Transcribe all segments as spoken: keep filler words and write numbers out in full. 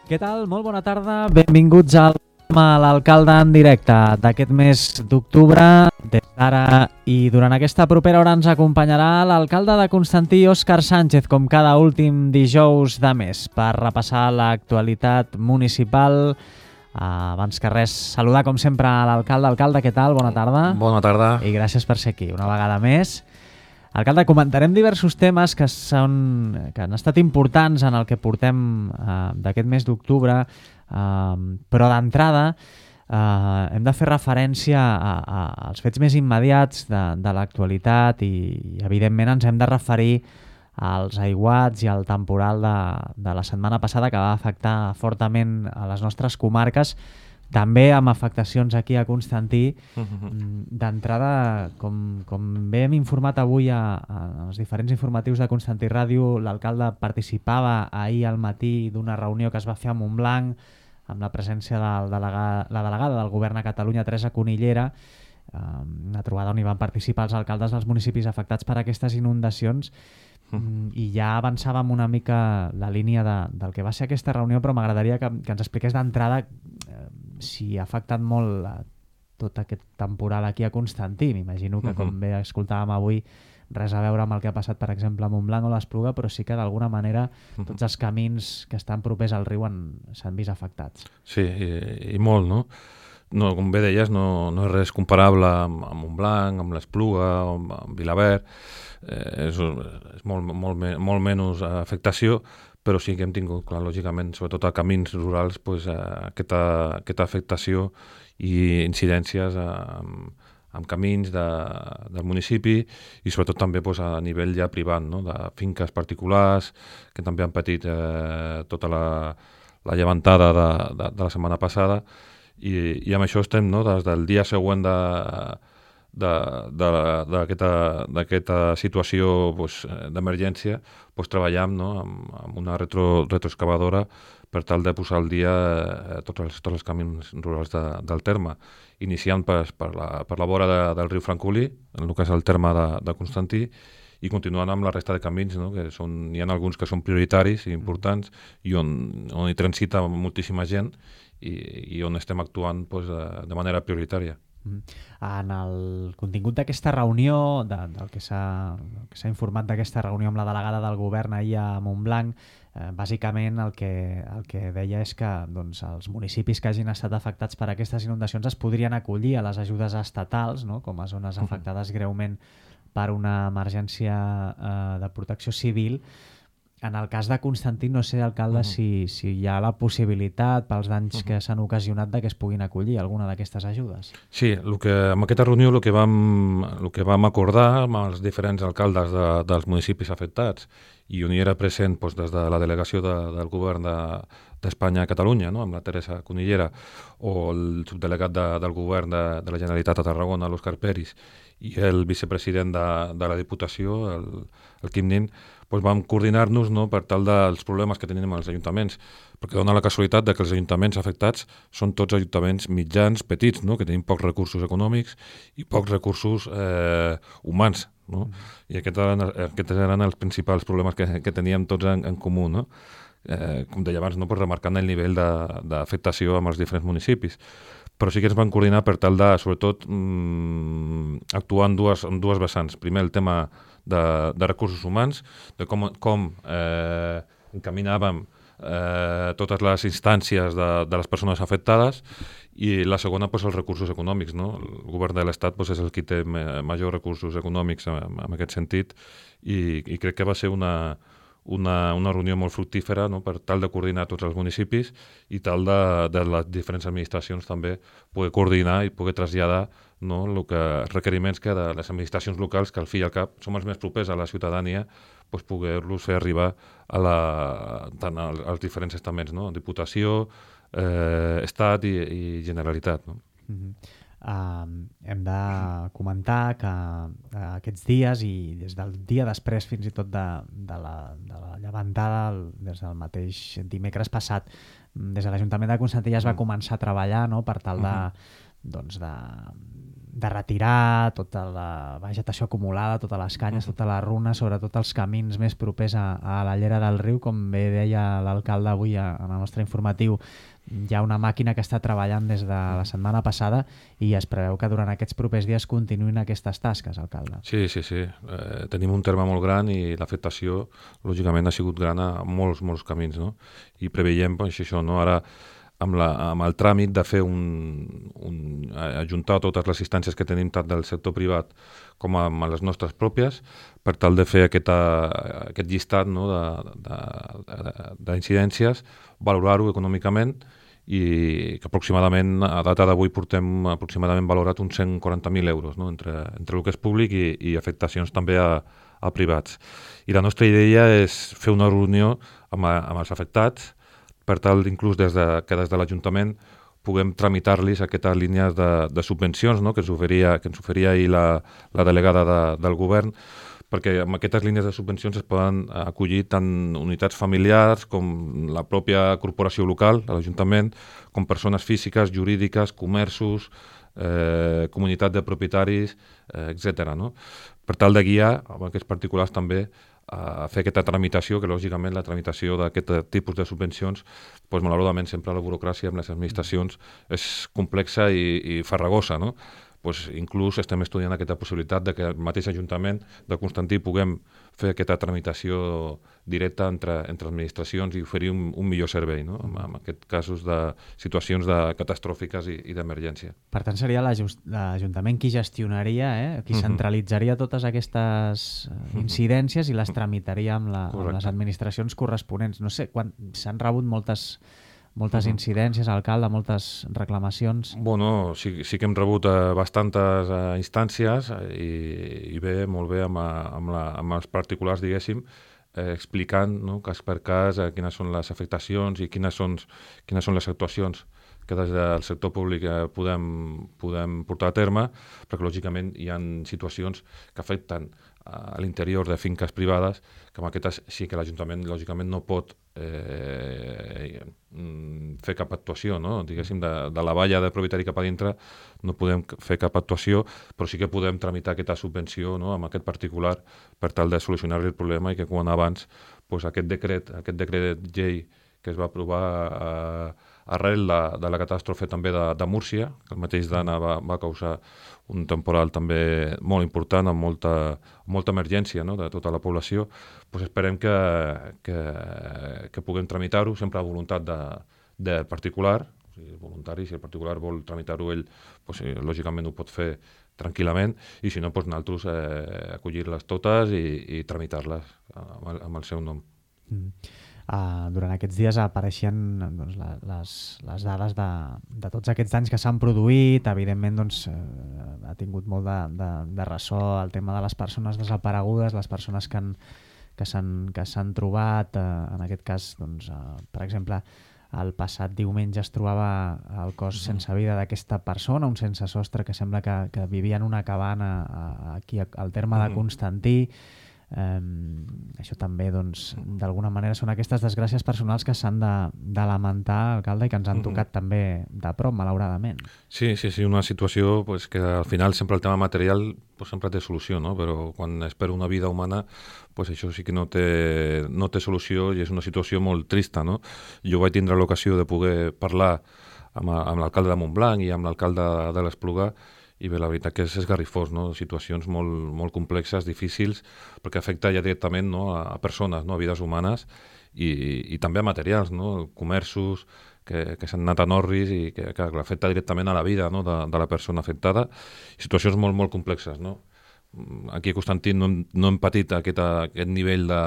Què tal? Molt bona tarda. Benvinguts al programa L'Alcalde en directe d'aquest mes d'octubre. Des d'ara i durant aquesta propera hora ens acompanyarà l'alcalde de Constantí, Òscar Sánchez, com cada últim dijous de mes, per repassar l'actualitat municipal. Uh, abans que res, saludar com sempre a l'alcalde. Alcalde, què tal? Bona tarda. Bona tarda. I gràcies per ser aquí una vegada més. Alcalde, comentarem diversos temes que, són, que han estat importants en el que portem uh, d'aquest mes d'octubre, uh, però d'entrada uh, hem de fer referència a, a, als fets més immediats de, de l'actualitat i, i evidentment ens hem de referir als aiguats i al temporal de, de la setmana passada que va afectar fortament a les nostres comarques, també amb afectacions aquí a Constantí. D'entrada, com, com bé hem informat avui a, a els diferents informatius de Constantí Ràdio, l'alcalde participava ahir al matí d'una reunió que es va fer a Montblanc amb la presència de la delegada, la delegada del govern a Catalunya, Teresa Conillera, una trobada on hi van participar els alcaldes dels municipis afectats per aquestes inundacions. Mm. I ja avançàvem una mica la línia de, del que va ser aquesta reunió, però m'agradaria que, que ens expliqués d'entrada eh, si ha afectat molt a tot aquest temporal aquí a Constantí. M'imagino que, com bé escoltàvem avui, res a veure amb el que ha passat, per exemple, a Montblanc o l'Espluga, però sí que d'alguna manera tots els camins que estan propers al riu s'han vist afectats. Sí, i, i molt, no? No, com bé deies, no, no és res comparable amb, amb Montblanc, amb l'Espluga, amb, amb Vilaverd. Eh, és és molt, molt, molt menys afectació, però sí que hem tingut, clar, lògicament, sobretot a camins rurals, pues, eh, aquesta, aquesta afectació i incidències amb, amb camins de, del municipi i sobretot també pues, a nivell ja privat, no? De finques particulars que també han patit eh, tota la, la llevantada de, de, de la setmana passada i, i amb això estem, no? Des del dia següent de d'aquesta situació pues, d'emergència, pues, treballam, no? amb, amb una retro, retroexcavadora per tal de posar al dia eh, tots, els, tots els camins rurals de, del terme, iniciant per, per, la, per la vora de, del riu Francolí, en el que és el terme de, de Constantí, i continuant amb la resta de camins, no? Que són, hi ha alguns que són prioritaris i importants i on, on hi transita moltíssima gent i, i on estem actuant pues, de, de manera prioritària. En el contingut d'aquesta reunió, de, del que s'ha informat d'aquesta reunió amb la delegada del govern ahir a Montblanc, eh, bàsicament el que, el que deia és que doncs, els municipis que hagin estat afectats per aquestes inundacions es podrien acollir a les ajudes estatals, no? Com a zones afectades greument per una emergència eh, de protecció civil. En el cas de Constantí, no sé, alcalde, uh -huh. si, si hi ha la possibilitat pels danys uh -huh. que s'han ocasionat de que es puguin acollir alguna d'aquestes ajudes. Sí, el que, amb aquesta reunió el que, vam, el que vam acordar amb els diferents alcaldes de, dels municipis afectats i on hi era present doncs, des de la delegació de, del govern d'Espanya de, a Catalunya, no? Amb la Teresa Conillera, o el subdelegat de, del govern de, de la Generalitat a Tarragona, l'Òscar Peris, i el vicepresident de, de la Diputació, el, el Quim Nin, doncs vam coordinar-nos, no? Per tal dels problemes que tenim als ajuntaments, perquè dona la casualitat de que els ajuntaments afectats són tots ajuntaments mitjans, petits, no? Que tenim pocs recursos econòmics i pocs recursos eh, humans, no? Mm. I aquests eren, aquests eren els principals problemes que, que teníem tots en, en comú, no? Eh, com deia abans, no? Pues remarcant el nivell d'afectació amb els diferents municipis. Però sí que ens van coordinar per tal de, sobretot, mmm, actuar en dues, en dues vessants. Primer, el tema de, de recursos humans, de com, com eh, encaminàvem eh, totes les instàncies de, de les persones afectades, i la segona, pues, els recursos econòmics, no? El govern de l'Estat pues, és el qui té majors recursos econòmics en, en aquest sentit, i, i crec que va ser una... Una, una reunió molt fructífera, no? Per tal de coordinar tots els municipis i tal de, de les diferents administracions també poder coordinar i poder traslladar, no? El que, requeriments que de les administracions locals, que al fi i al cap som els més propers a la ciutadania, pues poder-los fer arribar a la, tant als, als diferents estaments, no? Diputació, eh, Estat i, i Generalitat, no? Mm-hmm. Uh, hem de comentar que uh, aquests dies i des del dia després fins i tot de, de, la, de la llevantada, des del mateix dimecres passat, des de l'Ajuntament de Constantí ja es va començar a treballar, no? Per tal de, doncs de de retirar tota la vegetació acumulada, totes les canyes, tota la runa, sobretot els camins més propers a, a la llera del riu. Com bé deia l'alcalde avui a, en el nostre informatiu, hi ha una màquina que està treballant des de la setmana passada i es preveu que durant aquests propers dies continuïn aquestes tasques, alcalde. Sí, sí, sí. Eh, tenim un terme molt gran i l'afectació, lògicament, ha sigut gran a molts, molts camins, no? I preveiem, doncs, això, no? Ara, amb, la, amb el tràmit de fer un, un... ajuntar totes les instàncies que tenim tant del sector privat com amb les nostres pròpies, per tal de fer aquesta, aquest llistat, no? d'incidències, valorar-ho econòmicament, i que aproximadament, a data d'avui, portem aproximadament valorat uns cent quaranta mil euros, no? entre, entre el que és públic i, i afectacions també a, a privats. I la nostra idea és fer una reunió amb, amb els afectats, per tal inclús des de, que des de l'Ajuntament puguem tramitar-los aquestes línies de, de subvencions, no? que ens oferia, que ens oferia ahir la, la delegada de, del govern, perquè amb aquestes línies de subvencions es poden acollir tant unitats familiars com la pròpia corporació local, l'Ajuntament, com persones físiques, jurídiques, comerços, eh, comunitat de propietaris, eh, etcètera. No? Per tal de guiar amb aquests particulars també a fer aquesta tramitació, que lògicament la tramitació d'aquest tipus de subvencions, doncs, malauradament sempre la burocràcia amb les administracions és complexa i, i farragosa, no? Pues inclús estem estudiant aquesta possibilitat de que el mateix Ajuntament de Constantí puguem fer aquesta tramitació directa entre, entre administracions i oferir un, un millor servei, no? en, en aquests casos de situacions de catastròfiques i, i d'emergència. Per tant, seria l'Ajuntament qui gestionaria, eh? qui centralitzaria totes aquestes incidències i les tramitaria amb, la, amb les administracions corresponents. No sé, quan s'han rebut moltes... moltes incidències, alcalde, moltes reclamacions. Bueno, sí, sí que hem rebut eh, bastantes eh, instàncies i, i bé, molt bé amb, amb, la, amb els particulars, diguéssim, eh, explicant, no, cas per cas eh, quines són les afectacions i quines són, quines són les actuacions que des del sector públic eh, podem, podem portar a terme, perquè lògicament hi ha situacions que afecten a l'interior de finques privades, que amb aquestes sí que l'Ajuntament lògicament no pot eh, fer cap actuació, no? Diguéssim, de, de la valla de propietari cap a dintre no podem fer cap actuació, però sí que podem tramitar aquesta subvenció, no? amb aquest particular per tal de solucionar el problema i que quan abans pues, aquest decret, aquest decret llei que es va aprovar eh, arrel de, de la catàstrofe també de, de Múrcia, que el mateix d'Anna va, va causar un temporal també molt important, amb molta, molta emergència, no? de tota la població, pues esperem que, que, que puguem tramitar-ho, sempre a voluntat de, de particular, o sigui, voluntari, si el particular vol tramitar-ho ell, pues, lògicament ho pot fer tranquil·lament, i si no, pues, nosaltres eh, acollir-les totes i, i tramitar-les amb el, amb el seu nom. Mm. Uh, durant aquests dies apareixien doncs, la, les, les dades de, de tots aquests danys que s'han produït. Evidentment doncs, uh, ha tingut molt de, de, de ressò el tema de les persones desaparegudes, les persones que, han, que s'han que s'han trobat, uh, en aquest cas, doncs, uh, per exemple, el passat diumenge es trobava el cos sense vida d'aquesta persona, un sense sostre que sembla que, que vivia en una cabana uh, aquí al terme de Constantí. Um, això també doncs, d'alguna manera són aquestes desgràcies personals que s'han de, de lamentar, alcalde, i que ens han tocat uh-huh. també de prop, malauradament. Sí, sí, sí, una situació pues, que al final sempre el tema material pues, sempre té solució, no? Però quan es perd una vida humana pues, això sí que no té, no té solució i és una situació molt trista, no? Jo vaig tindre l'ocasió de poder parlar amb, amb l'alcalde de Montblanc i amb l'alcalde de l'Espluga, i bé, la veritat que és esgarrifós, no? Situacions molt, molt complexes, difícils, perquè afecta ja directament, no? a, a persones, no? a vides humanes i, i també a materials, no? comerços que, que s'han anat a Norris i que, que afecta directament a la vida, no? de, de la persona afectada. Situacions molt, molt complexes. No? Aquí a Constantí no hem, no hem patit aquest, aquest nivell de,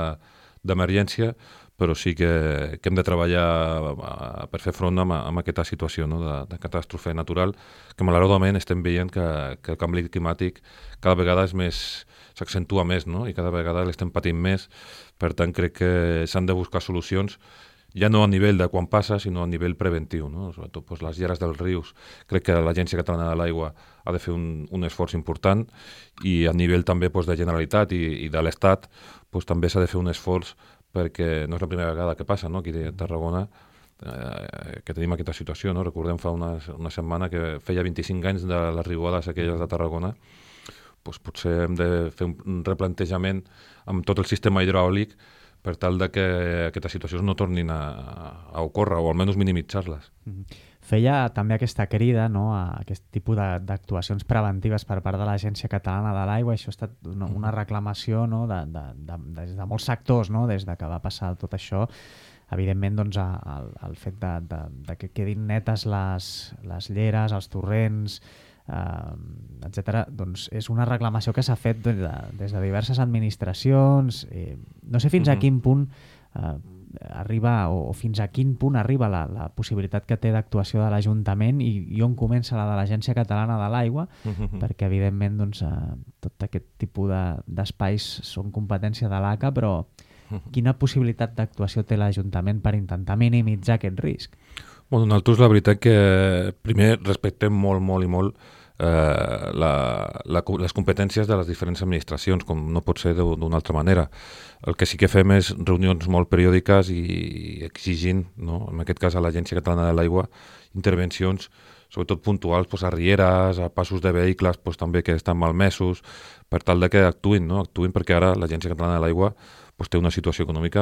d'emergència, però sí que, que hem de treballar per fer front amb, amb aquesta situació, no? de, de catàstrofe natural, que malauradament estem veient que, que el canvi climàtic cada vegada és més, s'accentua més, no? i cada vegada l'estem patint més. Per tant, crec que s'han de buscar solucions, ja no a nivell de quan passa, sinó a nivell preventiu. No? Sobretot doncs, les lleres dels rius. Crec que l'Agència Catalana de l'Aigua ha de fer un, un esforç important, i a nivell també doncs, de Generalitat i, i de l'Estat doncs, també s'ha de fer un esforç, perquè no és la primera vegada que passa, no? Aquí a Tarragona eh, que tenim aquesta situació. No? Recordem fa una, una setmana que feia vint-i-cinc anys de les riuades aquelles de Tarragona. Pues potser hem de fer un replantejament amb tot el sistema hidràulic per tal de que aquestes situacions no tornin a, a ocórrer o almenys minimitzar-les. Feia també aquesta crida, no?, a aquest tipus d'actuacions preventives per part de l'Agència Catalana de l'Aigua. Això ha estat una, una reclamació, no?, de, de, de, des de molts sectors, no?, des de que va passar tot això. Evidentment, doncs, el, el fet de, de, de que quedin netes les, les lleres, els torrents, eh, etcètera, doncs és una reclamació que s'ha fet des de, des de diverses administracions. Eh, no sé fins uh-huh. a quin punt eh, arriba o, o fins a quin punt arriba la, la possibilitat que té d'actuació de l'Ajuntament i, i on comença la de l'Agència Catalana de l'Aigua, uh-huh. perquè evidentment doncs, eh, tot aquest tipus de, d'espais són competència de l'A C A, però uh-huh. quina possibilitat d'actuació té l'Ajuntament per intentar minimitzar aquest risc? Bueno, nosaltres la veritat que primer respectem molt, molt i molt eh, la, la, les competències de les diferents administracions, com no pot ser d'una altra manera. El que sí que fem és reunions molt periòdiques i exigint, no? En aquest cas a l'Agència Catalana de l'Aigua, intervencions sobretot puntuals pues, a rieres, a passos de vehicles pues, també que estan malmesos, per tal de que actuïn, no? Actuïn perquè ara l'Agència Catalana de l'Aigua pues, té una situació econòmica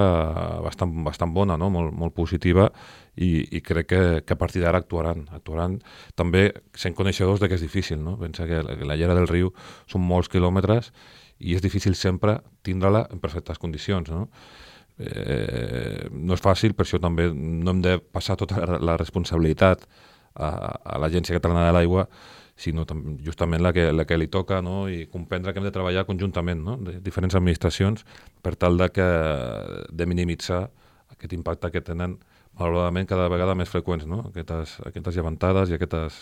bastant, bastant bona, no? molt, molt positiva i, i crec que, que a partir d'ara actuaran. Actuaran també sent coneixedors de que és difícil. No? Pensa que la, la llera del riu són molts quilòmetres i és difícil sempre tindre-la en perfectes condicions. No? Eh, no és fàcil, per això també no hem de passar tota la, la responsabilitat a, a l'Agència Catalana de l'Aigua, sinó justament la que, la que li toca, no? I comprendre que hem de treballar conjuntament, no? De diferents administracions per tal de, que, de minimitzar aquest impacte que tenen malauradament cada vegada més freqüents, no? Aquestes, aquestes llevantades i aquestes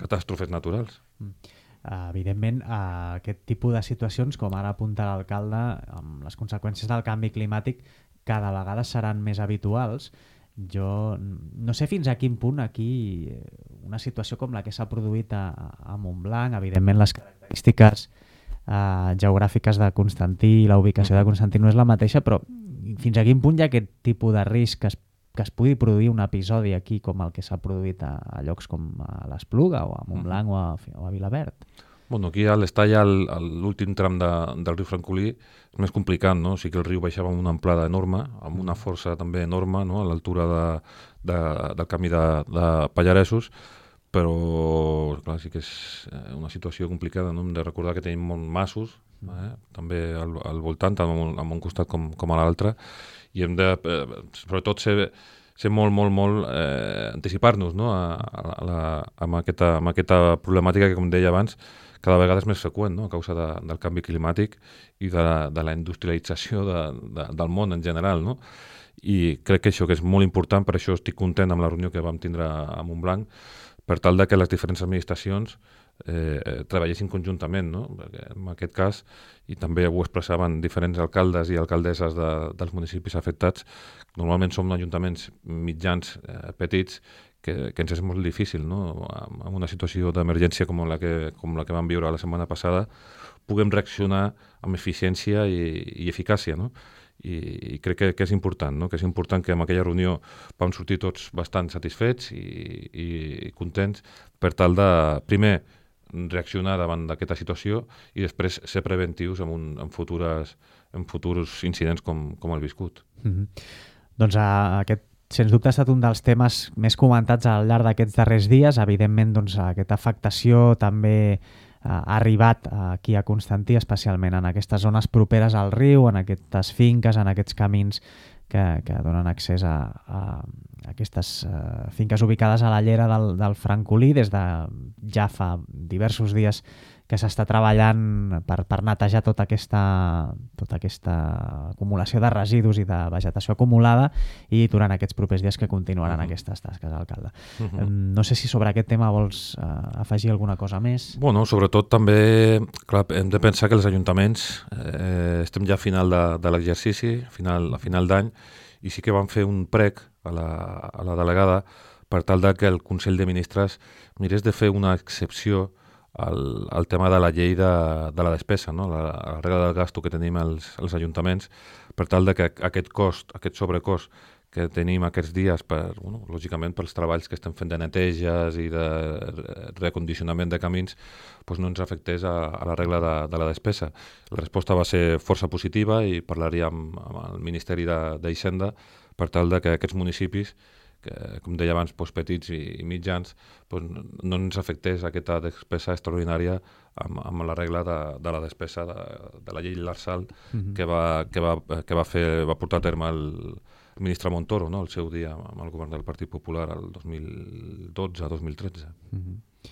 catàstrofes naturals. Mm. Uh, evidentment, uh, aquest tipus de situacions, com ara apunta l'alcalde, amb les conseqüències del canvi climàtic, cada vegada seran més habituals. Jo no sé fins a quin punt aquí una situació com la que s'ha produït a, a Montblanc, evidentment les característiques uh, geogràfiques de Constantí i la ubicació de Constantí no és la mateixa, però fins a quin punt hi ha aquest tipus de risc que es, que es pugui produir un episodi aquí com el que s'ha produït a, a llocs com a l'Espluga o a Montblanc o a, o a Vilabert? Bueno, aquí a l'Estalla, l'últim tram de, del riu Francolí, és més complicat, no? O sigui que el riu baixava amb una amplada enorme, amb una força també enorme, no? A l'altura de, de, del camí de, de Pallaresos, però clar, sí que és una situació complicada, no? Hem de recordar que tenim molts massos, eh? També al, al voltant, tant en un costat com, com a l'altre, i hem de, eh, sobretot, ser, ser molt, molt, molt, eh, anticipar-nos, no? a, a la, amb, aquesta, amb aquesta problemàtica que, com deia abans, cada vegada és més freqüent, no? A causa de, del canvi climàtic i de la, de la industrialització de, de, del món en general. No? I crec que això que és molt important, per això estic content amb la reunió que vam tindre a Montblanc, per tal de que les diferents administracions eh, treballessin conjuntament. No? Perquè en aquest cas, i també ho expressaven diferents alcaldes i alcaldesses de, dels municipis afectats, normalment som ajuntaments mitjans eh, petits, que, que ens és molt difícil, no? En una situació d'emergència com la que, com la que vam viure la setmana passada, puguem reaccionar amb eficiència i, i eficàcia, no? I, i crec que, que és important, no? Que és important que en aquella reunió vam sortir tots bastant satisfets i, i, i contents per tal de, primer, reaccionar davant d'aquesta situació i després ser preventius en, un, en, futures, en futurs incidents com, com el viscut. Mm-hmm. Doncs a, aquest sens dubte ha estat un dels temes més comentats al llarg d'aquests darrers dies. Evidentment, doncs, aquesta afectació també ha arribat aquí a Constantí, especialment en aquestes zones properes al riu, en aquestes finques, en aquests camins que, que donen accés a, a aquestes uh, finques ubicades a la llera del, del Francolí. Des de ja fa diversos dies que s'està treballant per, per netejar tota aquesta, tota aquesta acumulació de residus i de vegetació acumulada, i durant aquests propers dies que continuaran uh-huh. aquestes tasques, alcalde. Uh-huh. No sé si sobre aquest tema vols uh, afegir alguna cosa més. Bueno, sobretot també clar, hem de pensar que els ajuntaments eh, estem ja a final de, de l'exercici, final, a final d'any, i sí que vam fer un prec a la, a la delegada per tal de que el Consell de Ministres mirés de fer una excepció al, al tema de la llei de, de la despesa, no? la, la regla del gasto que tenim els, els ajuntaments, per tal de que aquest cost, aquest sobrecost que tenim aquests dies, per, bueno, lògicament pels treballs que estem fent de neteges i de recondicionament de camins, doncs no ens afectés a, a la regla de, de la despesa. La resposta va ser força positiva i parlaríem amb el Ministeri d'Hisenda per tal de que aquests municipis, que, com deia abans, doncs, petits i, i mitjans, doncs, no ens afectés aquesta despesa extraordinària amb, amb la regla de, de la despesa de, de la llei Lrsal mm-hmm. que, va, que, va, que va, fer, va portar a terme el el ministre Montoro, no?, el seu dia amb el govern del Partit Popular el dos mil dotze dos mil tretze. Mm-hmm.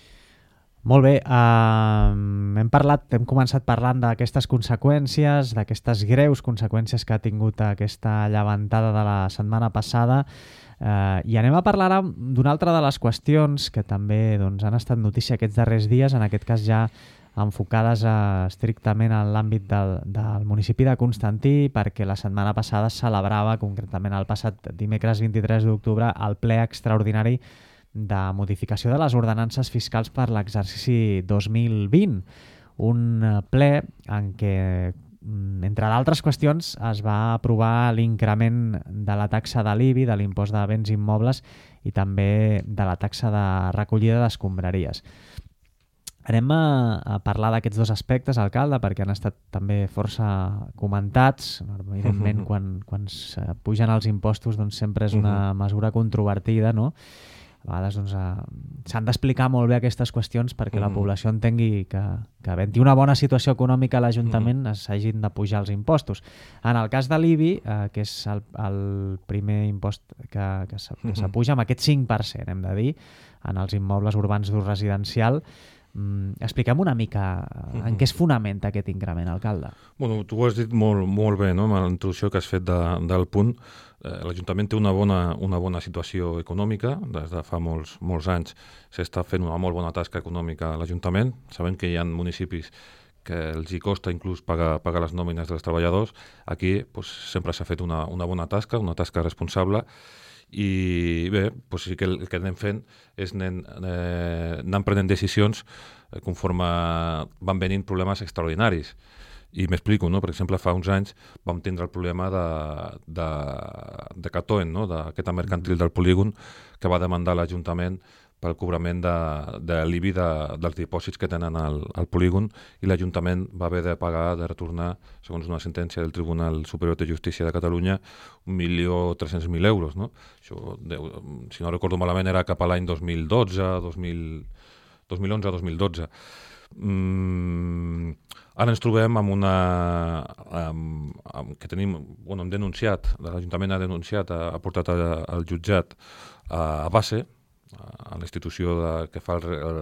Molt bé, uh, hem parlat, hem començat parlant d'aquestes conseqüències, d'aquestes greus conseqüències que ha tingut aquesta llevantada de la setmana passada, uh, i anem a parlar ara d'una altra de les qüestions que també doncs, han estat notícia aquests darrers dies, en aquest cas ja enfocades a, estrictament en l'àmbit del, del municipi de Constantí, perquè la setmana passada es celebrava, concretament el passat dimecres vint-i-tres d'octubre, el ple extraordinari de modificació de les ordenances fiscals per l'exercici dos mil vint. Un ple en què, entre d'altres qüestions, es va aprovar l'increment de la taxa de l'I B I, de l'impost de béns immobles, i també de la taxa de recollida d'escombraries. Anem a, a parlar d'aquests dos aspectes, alcalde, perquè han estat també força comentats. Evidentment, uh-huh. quan, quan pugen els impostos doncs sempre és una uh-huh. mesura controvertida, no? A vegades doncs, uh, s'han d'explicar molt bé aquestes qüestions perquè uh-huh. la població entengui que, que havent-hi una bona situació econòmica a l'Ajuntament uh-huh. s'hagin de pujar els impostos. En el cas de l'I B I, uh, que és el, el primer impost que, que s'apuja amb aquest cinc per cent, hem de dir, en els immobles urbans d'ús residencial, Mm, expliquem una mica en què es fonamenta aquest increment, alcalde. Bueno, tu ho has dit molt, molt bé, no?, amb la introducció que has fet de, del punt. Eh, L'Ajuntament té una bona, una bona situació econòmica. Des de fa molts, molts anys s'està fent una molt bona tasca econòmica a l'Ajuntament. Sabem que hi ha municipis que els hi costa inclús pagar, pagar les nòmines dels treballadors. Aquí pues, sempre s'ha fet una, una bona tasca, una tasca responsable. I bé, doncs sí que el que anem fent és anem, eh, anem prenent decisions eh, conforme van venint problemes extraordinaris. I m'explico, no? Per exemple, fa uns anys vam tindre el problema de, de, de Catoen, no?, d'aquesta mercantil del polígon que va demandar l'Ajuntament pel cobrament de, de l'I B I de, dels dipòsits que tenen al, al polígon, i l'Ajuntament va haver de pagar, de retornar, segons una sentència del Tribunal Superior de Justícia de Catalunya, un milió tres-cents mil euros. No? Això, de, si no recordo malament, era cap a l'any dos mil dotze, dos mil onze, dos mil dotze. Mm, ara ens trobem amb una... Amb, amb, que tenim, bueno, hem denunciat, l'Ajuntament ha denunciat, ha, ha portat a, al jutjat a, a base, a la institució de, que fa el, el,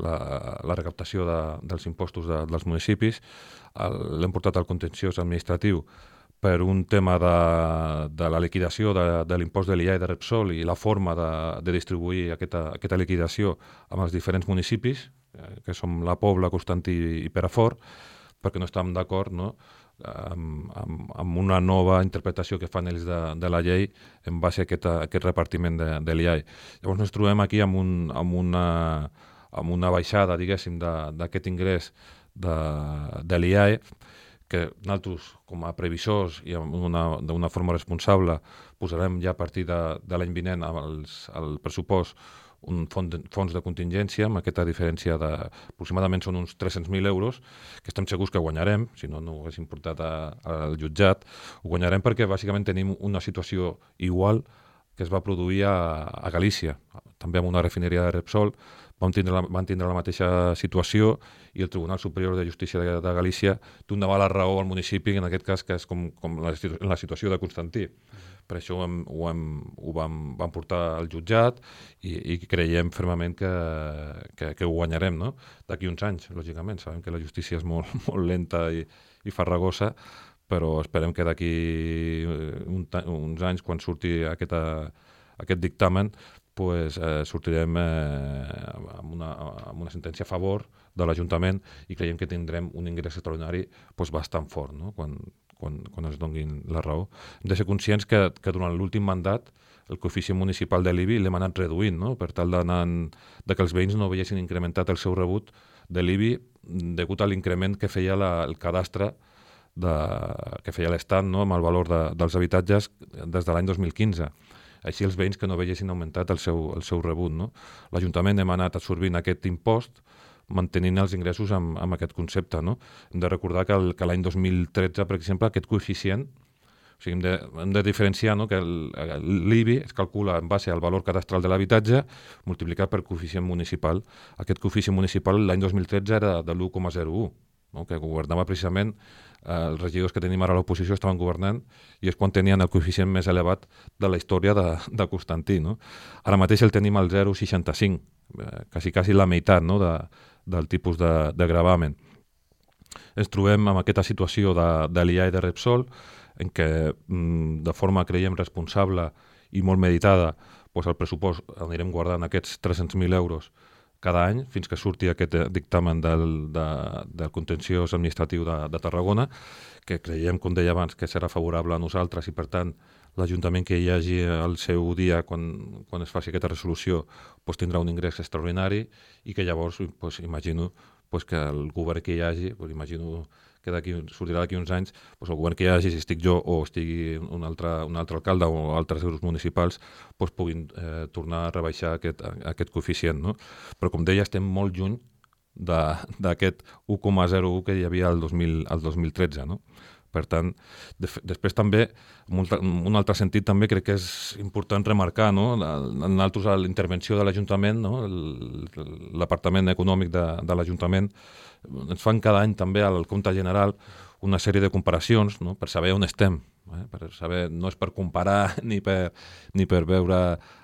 la, la recaptació de, dels impostos de, dels municipis. L'hem portat al contenciós administratiu per un tema de, de la liquidació de, de l'impost de l'I A i de Repsol i la forma de, de distribuir aquesta, aquesta liquidació amb els diferents municipis, que som la Pobla, Constantí i Perafort, perquè no estàvem d'acord, no?, Amb, amb, amb una nova interpretació que fan ells de, de la llei en base a aquest, a aquest repartiment de, de l'I A I. Llavors ens trobem aquí amb, un, amb, una, amb una baixada, diguéssim, d'aquest ingrés de, de l'I A I, que nosaltres, com a previsors i d'una forma responsable, posarem ja a partir de, de l'any vinent els, el pressupost un fons de, fons de contingència amb aquesta diferència de aproximadament són uns tres-cents mil euros, que estem segurs que guanyarem, si no, no ho haguéssim portat a, al jutjat. Ho guanyarem perquè bàsicament tenim una situació igual que es va produir a, a Galícia, també amb una refineria de Repsol. Vam tindre la, van tindre la mateixa situació i el Tribunal Superior de Justícia de, de Galícia donava la raó al municipi, en aquest cas, que és com, com la, la situació de Constantí. Per això ho, hem, ho, hem, ho vam, vam portar al jutjat i, i creiem fermament que, que, que ho guanyarem, no? D'aquí uns anys, lògicament. Sabem que la justícia és molt, molt lenta i, i farragosa, però esperem que d'aquí un, uns anys, quan surti aquesta, aquest dictamen, pues, eh, sortirem eh, amb, una, amb una sentència a favor de l'Ajuntament i creiem que tindrem un ingrés extraordinari pues, bastant fort, no?, quan, quan, quan ens donguin la raó. Hem de ser conscients que, que durant l'últim mandat el coeficient municipal de l'I B I l'hem anat reduint, no?, per tal d'anar de que els veïns no veiessin incrementat el seu rebut de l'I B I degut a l'increment que feia la, el cadastre de, que feia l'Estat, no?, amb el valor de, dels habitatges des de l'any dos mil quinze. Així els veïns que no veiessin augmentat el seu, el seu rebut. No? L'Ajuntament hem anat absorbint aquest impost, mantenint els ingressos amb, amb aquest concepte. No? Hem de recordar que, el, que l'any dos mil tretze, per exemple, aquest coeficient, o sigui, hem, de, hem de diferenciar, no?, que l'I B I es calcula en base al valor cadastral de l'habitatge multiplicat per coeficient municipal. Aquest coeficient municipal l'any dos mil tretze era de l'u coma zero u, no? Que governava precisament, eh, els regidors que tenim ara a l'oposició estaven governant i és quan tenien el coeficient més elevat de la història de, de Constantí. No? Ara mateix el tenim al zero coma seixanta cinc, eh, quasi, quasi la meitat, no?, de, del tipus de, de gravamen. Ens trobem amb aquesta situació de, de l'I A i de Repsol, en què mm, de forma, creiem, responsable i molt meditada, doncs el pressupost anirem guardant aquests tres-cents mil euros cada any, fins que surti aquest dictamen del, de, del contenciós administratiu de, de Tarragona, que creiem, com deia abans, que serà favorable a nosaltres i, per tant, l'Ajuntament que hi hagi al seu dia quan, quan es faci aquesta resolució doncs tindrà un ingrés extraordinari i que llavors doncs, imagino doncs, que el govern que hi hagi, doncs, imagino que d'aquí sortirà d'aquí uns anys, doncs el govern que hi hagi, si estic jo o estigui un altre, un altre alcalde o altres grups municipals, doncs puguin eh, tornar a rebaixar aquest, aquest coeficient. No? Però com deia, estem molt lluny d'aquest u coma zero u que hi havia el dos mil, el dos mil tretze. No? Per tant, de, després també, en un altre sentit també crec que és important remarcar, no?, en altres la intervenció de l'Ajuntament, no?, l'apartament econòmic de, de l'Ajuntament, ens fan cada any també al compte general una sèrie de comparacions, no?, per saber on estem, eh? Per saber, no és per comparar ni per, ni per veure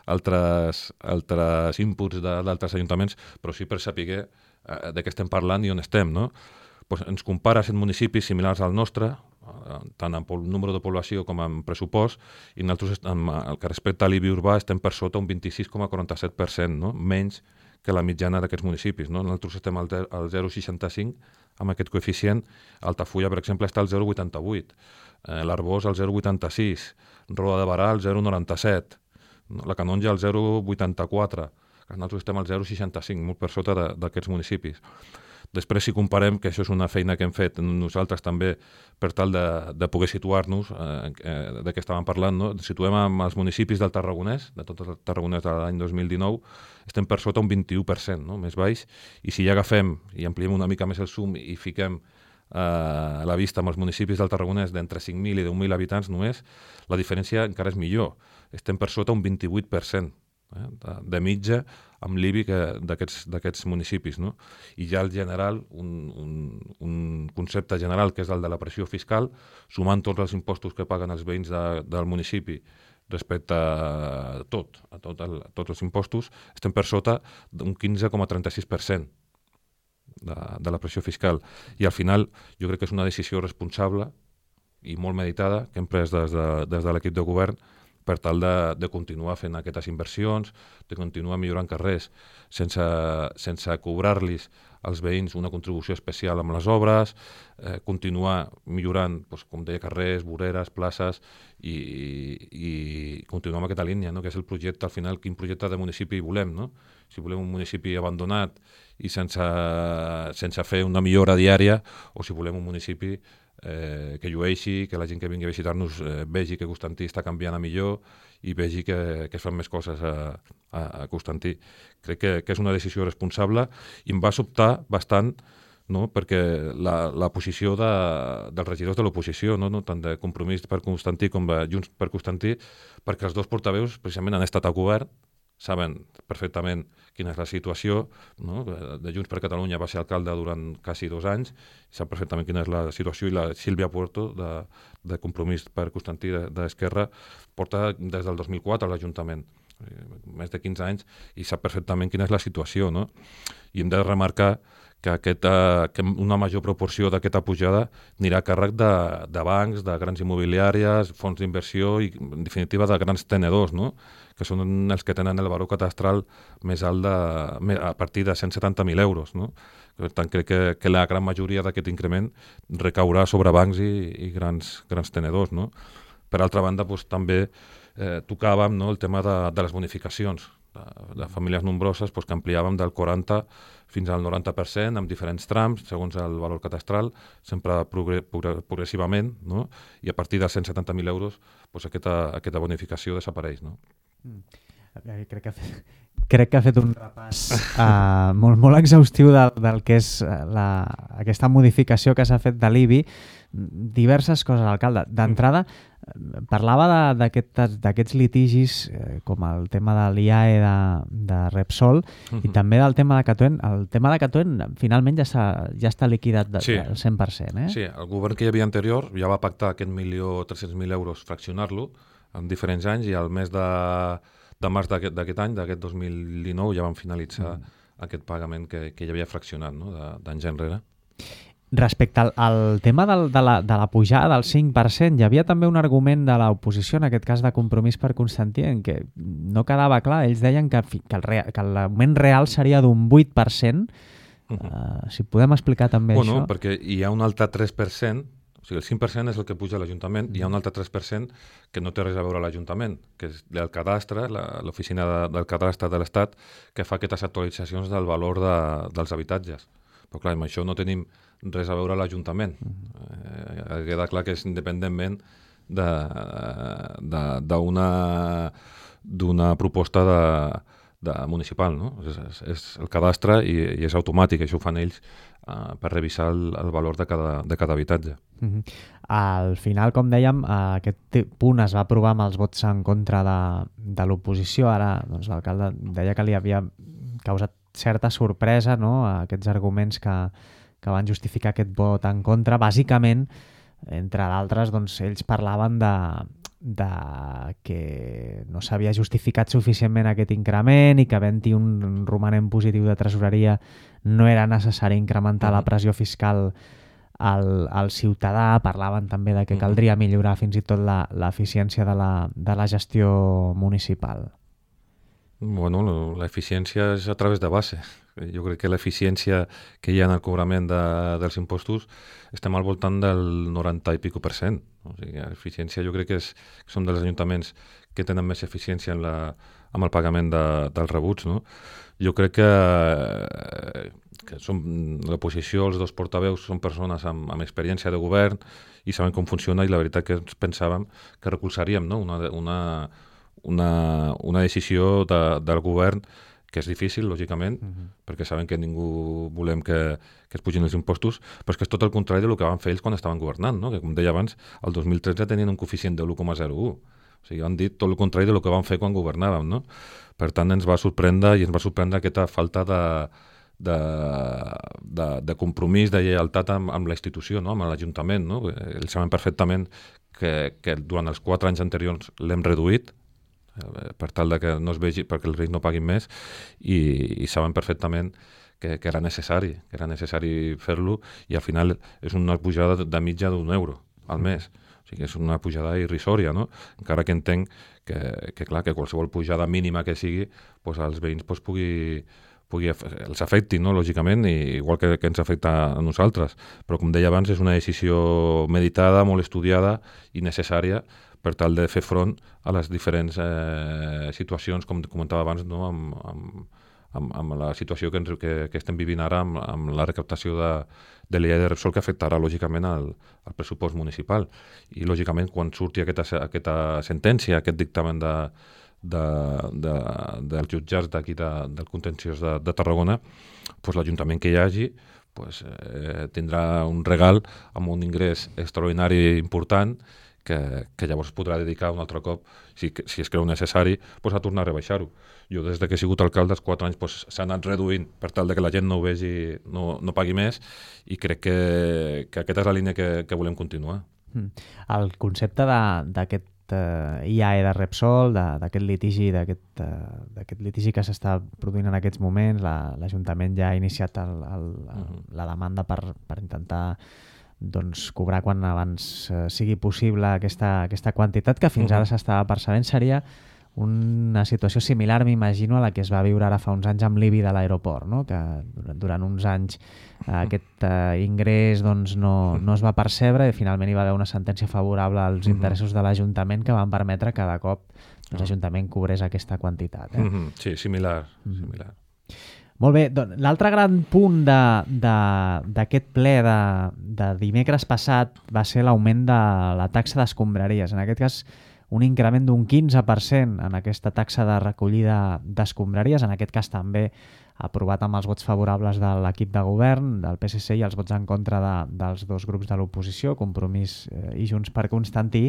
altres, altres inputs d'altres ajuntaments, però sí per saber eh, de què estem parlant i on estem, no? Pues ens compara set municipis similars al nostre, tant en número de població com en pressupost, i nosaltres, en el que respecta a l'I B I urbà, estem per sota un vint-i-sis coma quaranta-set per cent, no? Menys que la mitjana d'aquests municipis. No? Nosaltres estem al zero coma seixanta cinc amb aquest coeficient. Altafulla, per exemple, està al zero coma vuitanta-vuit, eh, l'Arboç al zero coma vuitanta-sis, Roda de Barà al zero coma noranta-set, no? La Canonja al zero coma vuitanta-quatre, nosaltres estem al zero coma seixanta cinc, molt per sota d'aquests municipis. Després, si comparem, que això és una feina que hem fet nosaltres també per tal de, de poder situar-nos, eh, eh, de què estàvem parlant, no? Situem amb els municipis del Tarragonès, de tots els Tarragonès de l'any dos mil dinou, estem per sota un vint-i-u per cent, no? Més baix, i si ja agafem i ampliem una mica més el zoom i fiquem eh, a la vista amb els municipis del Tarragonès d'entre cinc mil i deu mil habitants només, la diferència encara és millor, estem per sota un vint-i-vuit per cent. Eh, de, de mitja amb l'I B I d'aquests municipis. No? I ja el general, un, un, un concepte general que és el de la pressió fiscal, sumant tots els impostos que paguen els veïns de, del municipi respecte a tot, a, tot el, a tots els impostos, estem per sota d'un quinze coma trenta-sis per cent de, de la pressió fiscal. I al final jo crec que és una decisió responsable i molt meditada que hem pres des de, des de l'equip de govern per tal de, de continuar fent aquestes inversions, de continuar millorant carrers sense, sense cobrar-los als veïns una contribució especial amb les obres, eh, continuar millorant, doncs, com deia, carrers, voreres, places, i, i continuar amb aquesta línia, no? Que és el projecte, al final, quin projecte de municipi volem. No? Si volem un municipi abandonat i sense, sense fer una millora diària, o si volem un municipi Eh, que llueixi, que la gent que vingui a visitar-nos eh, vegi que Constantí està canviant a millor i vegi que, que es fan més coses a, a, a Constantí. Crec que, que és una decisió responsable i em va sobtar bastant, no? Perquè la, la posició de, dels regidors de l'oposició, no? No? Tant de Compromís per Constantí com de Junts per Constantí, perquè els dos portaveus precisament han estat al govern, saben perfectament quina és la situació, no? De Junts per Catalunya va ser alcalde durant quasi dos anys, sap perfectament quina és la situació, i la Sílvia Puerto, de, de Compromís per Constantí d'Esquerra, porta des del dos mil quatre a l'Ajuntament, més de quinze anys, i sap perfectament quina és la situació. No? I hem de remarcar que, aquesta, que una major proporció d'aquesta pujada anirà a càrrec de, de bancs, de grans immobiliàries, fons d'inversió i, en definitiva, de grans tenedors, no? Que són els que tenen el valor catastral més alt de, a partir de cent setanta mil euros. No? Per tant, crec que, que la gran majoria d'aquest increment recaurà sobre bancs i, i grans, grans tenedors. No? Per altra banda, doncs, també eh, tocàvem, no, el tema de, de les bonificacions, de famílies nombroses, doncs, que ampliàvem del quaranta fins al noranta per cent amb diferents trams, segons el valor catastral, sempre progre, progre, progressivament, no? I a partir de cent setanta mil euros doncs, aquesta, aquesta bonificació desapareix. No? Mm. Crec que, crec que ha fet un repàs uh, molt, molt exhaustiu del, del que és la, aquesta modificació que s'ha fet de l'I B I. Diverses coses, alcalde. D'entrada, parlava d'aquests litigis, eh, com el tema de l'I A E de, de Repsol, uh-huh. i també del tema de Catoen. El tema de Catoen finalment ja, ja està liquidat de, sí. del cent per cent. Eh? Sí, el govern que hi havia anterior ja va pactar aquest milió tres-cents mil euros, fraccionar-lo en diferents anys, i al mes de, de març d'aquest any, d'aquest dos mil dinou, ja van finalitzar uh-huh. aquest pagament que, que ja havia fraccionat, no? d'anys enrere. Respecte al, al tema del, de, la, de la pujada del cinc per cent, hi havia també un argument de l'oposició, en aquest cas de Compromís per Constantí, en què no quedava clar. Ells deien que, que l'augment real seria d'un vuit per cent. Uh-huh. uh, si podem explicar també bueno, això. Perquè hi ha un altre tres per cent, o sigui, el cinc per cent és el que puja a l'Ajuntament, uh-huh. hi ha un altre tres per cent que no té res a veure a l'Ajuntament, que és el cadastre, l'oficina de, del cadastre de l'Estat, que fa aquestes actualitzacions del valor de, dels habitatges. Però clar, amb això no tenim res a veure a l'Ajuntament. Eh, queda clar que és independentment d'una proposta de, de municipal. No? És, és, és el cadastre i, i és automàtic, això ho fan ells eh, per revisar el, el valor de cada, de cada habitatge. Uh-huh. Al final, com dèiem, aquest punt es va aprovar amb els vots en contra de, de l'oposició. Ara doncs, l'alcalde deia que li havia causat certa sorpresa, no?, aquests arguments que, que van justificar aquest vot en contra. Bàsicament, entre d'altres, doncs, ells parlaven de, de que no s'havia justificat suficientment aquest increment i que havent-hi un romanent positiu de tresoreria no era necessari incrementar la pressió fiscal al, al ciutadà. Parlaven també de que caldria millorar fins i tot l'eficiència de, la, de la gestió municipal. Bueno, l'eficiència és a través de base. Jo crec que l'eficiència que hi ha en el cobrament de, dels impostos estem al voltant del noranta i pico per cent. O sigui, l'eficiència jo crec que, és, que són dels ajuntaments que tenen més eficiència en la, amb el pagament de, dels rebuts. No? Jo crec que, que som, l'oposició, els dos portaveus, són persones amb, amb experiència de govern i saben com funciona, i la veritat que ens pensàvem que recolzaríem, no? una, una Una, una decisió de, del govern que és difícil, lògicament, uh-huh. perquè saben que ningú volem que, que es pugin els impostos, però és que és tot el contrari del que van fer ells quan estaven governant, no? Que, com deia abans, el dos mil tretze tenien un coeficient de l'u coma zero u. O sigui, han dit tot el contrari del que van fer quan governàvem, no? Per tant, ens va sorprendre i ens va sorprendre aquesta falta de, de, de, de compromís, de lleialtat amb, amb la institució, no? Amb l'Ajuntament, no? Ells saben perfectament que, que durant els quatre anys anteriors l'hem reduït, per tal de que no es vegi, perquè els rics no paguin més, i, i saben perfectament que, que era necessari, que era necessari fer-lo, i al final és una pujada de mitja d'un euro al mes. O sigui, és una pujada irrisòria, no? Encara que entenc que, que, clar, que qualsevol pujada mínima que sigui, doncs als veïns doncs, pugui, pugui, els afecti, no? Lògicament, i igual que, que ens afecta a nosaltres. Però, com deia abans, és una decisió meditada, molt estudiada i necessària per tal de fer front a les diferents eh, situacions, com comentava abans, no? amb, amb, amb, amb la situació que, ens, que, que estem vivint ara amb, amb la recaptació de, de l'I A de Repsol, que afectarà lògicament al, al pressupost municipal. I lògicament quan surti aquesta, aquesta sentència, aquest dictamen de, de, de, dels jutjats d'aquí de, del contenciós de, de Tarragona, doncs l'Ajuntament que hi hagi doncs, eh, tindrà un regal amb un ingrés extraordinari important, Que, que llavors podrà dedicar un altre cop, si, si es creu necessari, pues a tornar a rebaixar-ho. Jo des de que he sigut alcalde, els quatre anys pues, s'ha anat reduint per tal de que la gent no ho vegi, no, no pagui més, i crec que, que aquesta és la línia que, que volem continuar. El concepte d'aquest uh, I A E de Repsol, d'aquest litigi, d'aquest uh, litigi que s'està produint en aquests moments, l'Ajuntament la, ja ha iniciat el, el, el, uh-huh. la demanda per, per intentar doncs, cobrar quan abans eh, sigui possible aquesta, aquesta quantitat que fins uh-huh. ara s'estava percebent. Seria una situació similar, m'imagino, a la que es va viure ara fa uns anys amb l'I B I de l'aeroport, no? Que durant uns anys eh, aquest eh, ingrés doncs, no, no es va percebre i finalment hi va haver una sentència favorable als uh-huh. interessos de l'Ajuntament que van permetre que de cop l'Ajuntament cobrés aquesta quantitat. Eh? Mm-hmm. Sí, similar. Mm-hmm. similar. Molt bé, doncs, l'altre gran punt d'aquest ple de, de dimecres passat va ser l'augment de la taxa d'escombraries. En aquest cas, un increment d'un quinze per cent en aquesta taxa de recollida d'escombraries, en aquest cas també aprovat amb els vots favorables de l'equip de govern, del P S C i els vots en contra de, dels dos grups de l'oposició, Compromís eh, i Junts per Constantí.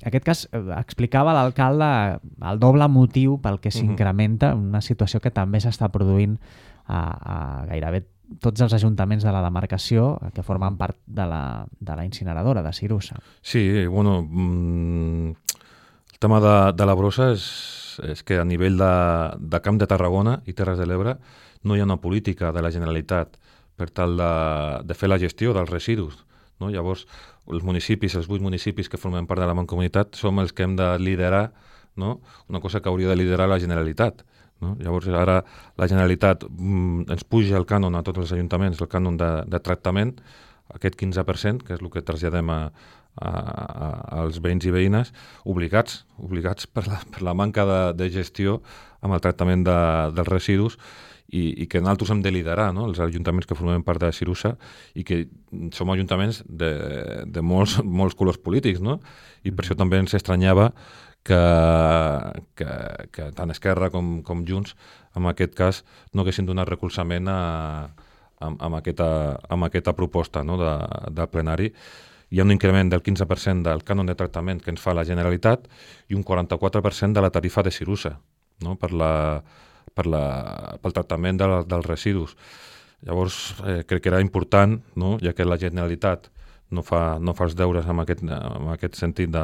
En aquest cas, eh, explicava l'alcalde el doble motiu pel que s'incrementa, una situació que també s'està produint a, a gairebé tots els ajuntaments de la demarcació que formen part de la, de la incineradora de Sirusa. Sí, bueno, mmm, el tema de, de la brossa és, és que a nivell de, de Camp de Tarragona i Terres de l'Ebre no hi ha una política de la Generalitat per tal de, de fer la gestió dels residus. No? Llavors, els municipis, els vuit municipis que formen part de la Mancomunitat, som els que hem de liderar, no? Una cosa que hauria de liderar la Generalitat. No? Llavors, ara la Generalitat mm, ens puja el cànon a tots els ajuntaments, el cànon de, de tractament, aquest quinze per cent, que és el que traslladem a, a, a, als veïns i veïnes, obligats, obligats per la, per la manca de, de gestió amb el tractament de, dels residus i, i que nosaltres hem de liderar, no? Els ajuntaments que formem part de Sirusa i que som ajuntaments de, de molts, molts colors polítics, no? I per això també ens estranyava que, que, que tant Esquerra com, com Junts, en aquest cas, no haguessin donat recolzament a, a, a, aquesta, a aquesta proposta, no? de, de plenari. Hi ha un increment del quinze per cent del cànon de tractament que ens fa la Generalitat i un quaranta-quatre per cent de la tarifa de Sirusa, no? per la, per la, pel tractament de la, dels residus. Llavors, eh, crec que era important, no? Ja que la Generalitat no fa, no fa els deures en aquest, en aquest sentit de,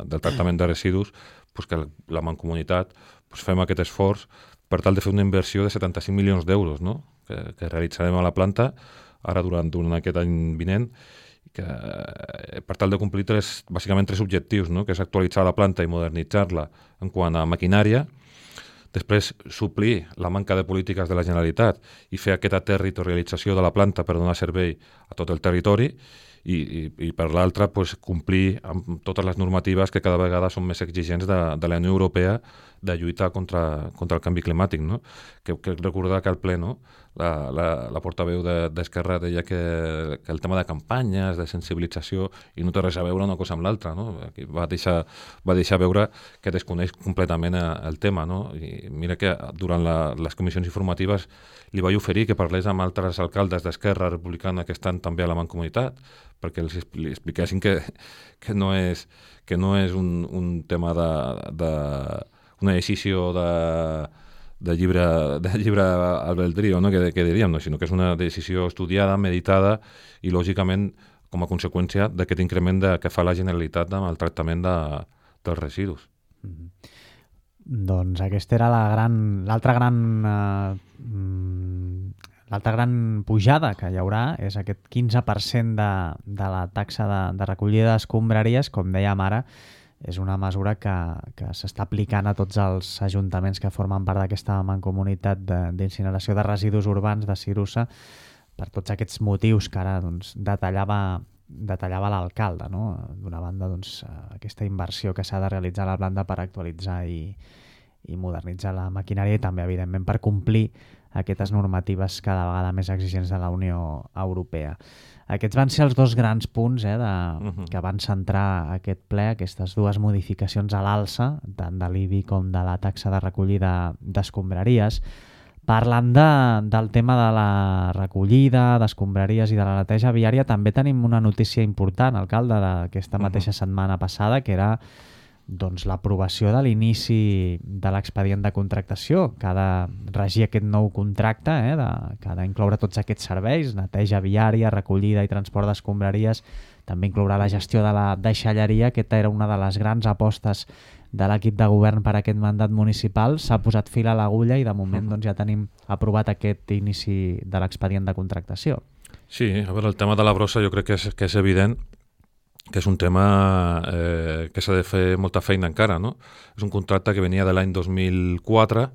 del tractament de residus, pues que la Mancomunitat pues fem aquest esforç per tal de fer una inversió de setanta-cinc milions d'euros, no? que, que realitzarem a la planta ara durant, durant aquest any vinent, que, per tal de complir tres, bàsicament tres objectius, no? Que és actualitzar la planta i modernitzar-la en quant a maquinària, després suplir la manca de polítiques de la Generalitat i fer aquesta territorialització de la planta per donar servei a tot el territori, i, i, i per l'altra pues, complir amb totes les normatives que cada vegada són més exigents de, de la Unió Europea de lluitar contra, contra el canvi climàtic. No? Que, que recordar que al ple, no? la, la, la portaveu d'Esquerra de, deia que, que el tema de campanyes, de sensibilització, i no té res a veure una cosa amb l'altra. No? Va, deixar, va deixar veure que desconeix completament el tema. No? I mira que durant la, les comissions informatives li vaig oferir que parlés amb altres alcaldes d'Esquerra Republicana que estan també a la Mancomunitat, perquè els li expliquessin que, que no és, que no és un, un tema de, de una decisió de, de llibre, de llibre albedrío, no? que, que diríem, no? Sinó que és una decisió estudiada, meditada i, lògicament, com a conseqüència d'aquest increment de, que fa la Generalitat amb el tractament de, dels residus. Mm-hmm. Doncs aquesta era la gran, l'altra gran... Eh, L'altra gran pujada que hi haurà és aquest quinze per cent de, de la taxa de, de recollida d'escombraries, com dèiem ara, és una mesura que, que s'està aplicant a tots els ajuntaments que formen part d'aquesta mancomunitat d'incineració de, de residus urbans de Sirusa, per tots aquests motius que ara doncs, detallava, detallava l'alcalde. No? D'una banda, doncs, aquesta inversió que s'ha de realitzar a la planta per actualitzar i, i modernitzar la maquinària i també, evidentment, per complir aquestes normatives cada vegada més exigents de la Unió Europea. Aquests van ser els dos grans punts eh, de, uh-huh. que van centrar aquest ple, aquestes dues modificacions a l'alça, tant de l'I B I com de la taxa de recollida d'escombraries. Parlant de, del tema de la recollida d'escombraries i de la neteja viària, també tenim una notícia important, alcalde, d'aquesta uh-huh. mateixa setmana passada, que era doncs, l'aprovació de l'inici de l'expedient de contractació, que ha de regir aquest nou contracte, eh, de, que ha d'incloure tots aquests serveis, neteja viària, recollida i transport d'escombraries, també inclourà la gestió de la deixalleria. Aquesta era una de les grans apostes de l'equip de govern per a aquest mandat municipal. S'ha posat fil a l'agulla i de moment doncs, ja tenim aprovat aquest inici de l'expedient de contractació. Sí, a veure, el tema de la brossa jo crec que és, que és evident que és un tema eh, que s'ha de fer molta feina encara, no? És un contracte que venia de l'any dos mil quatre,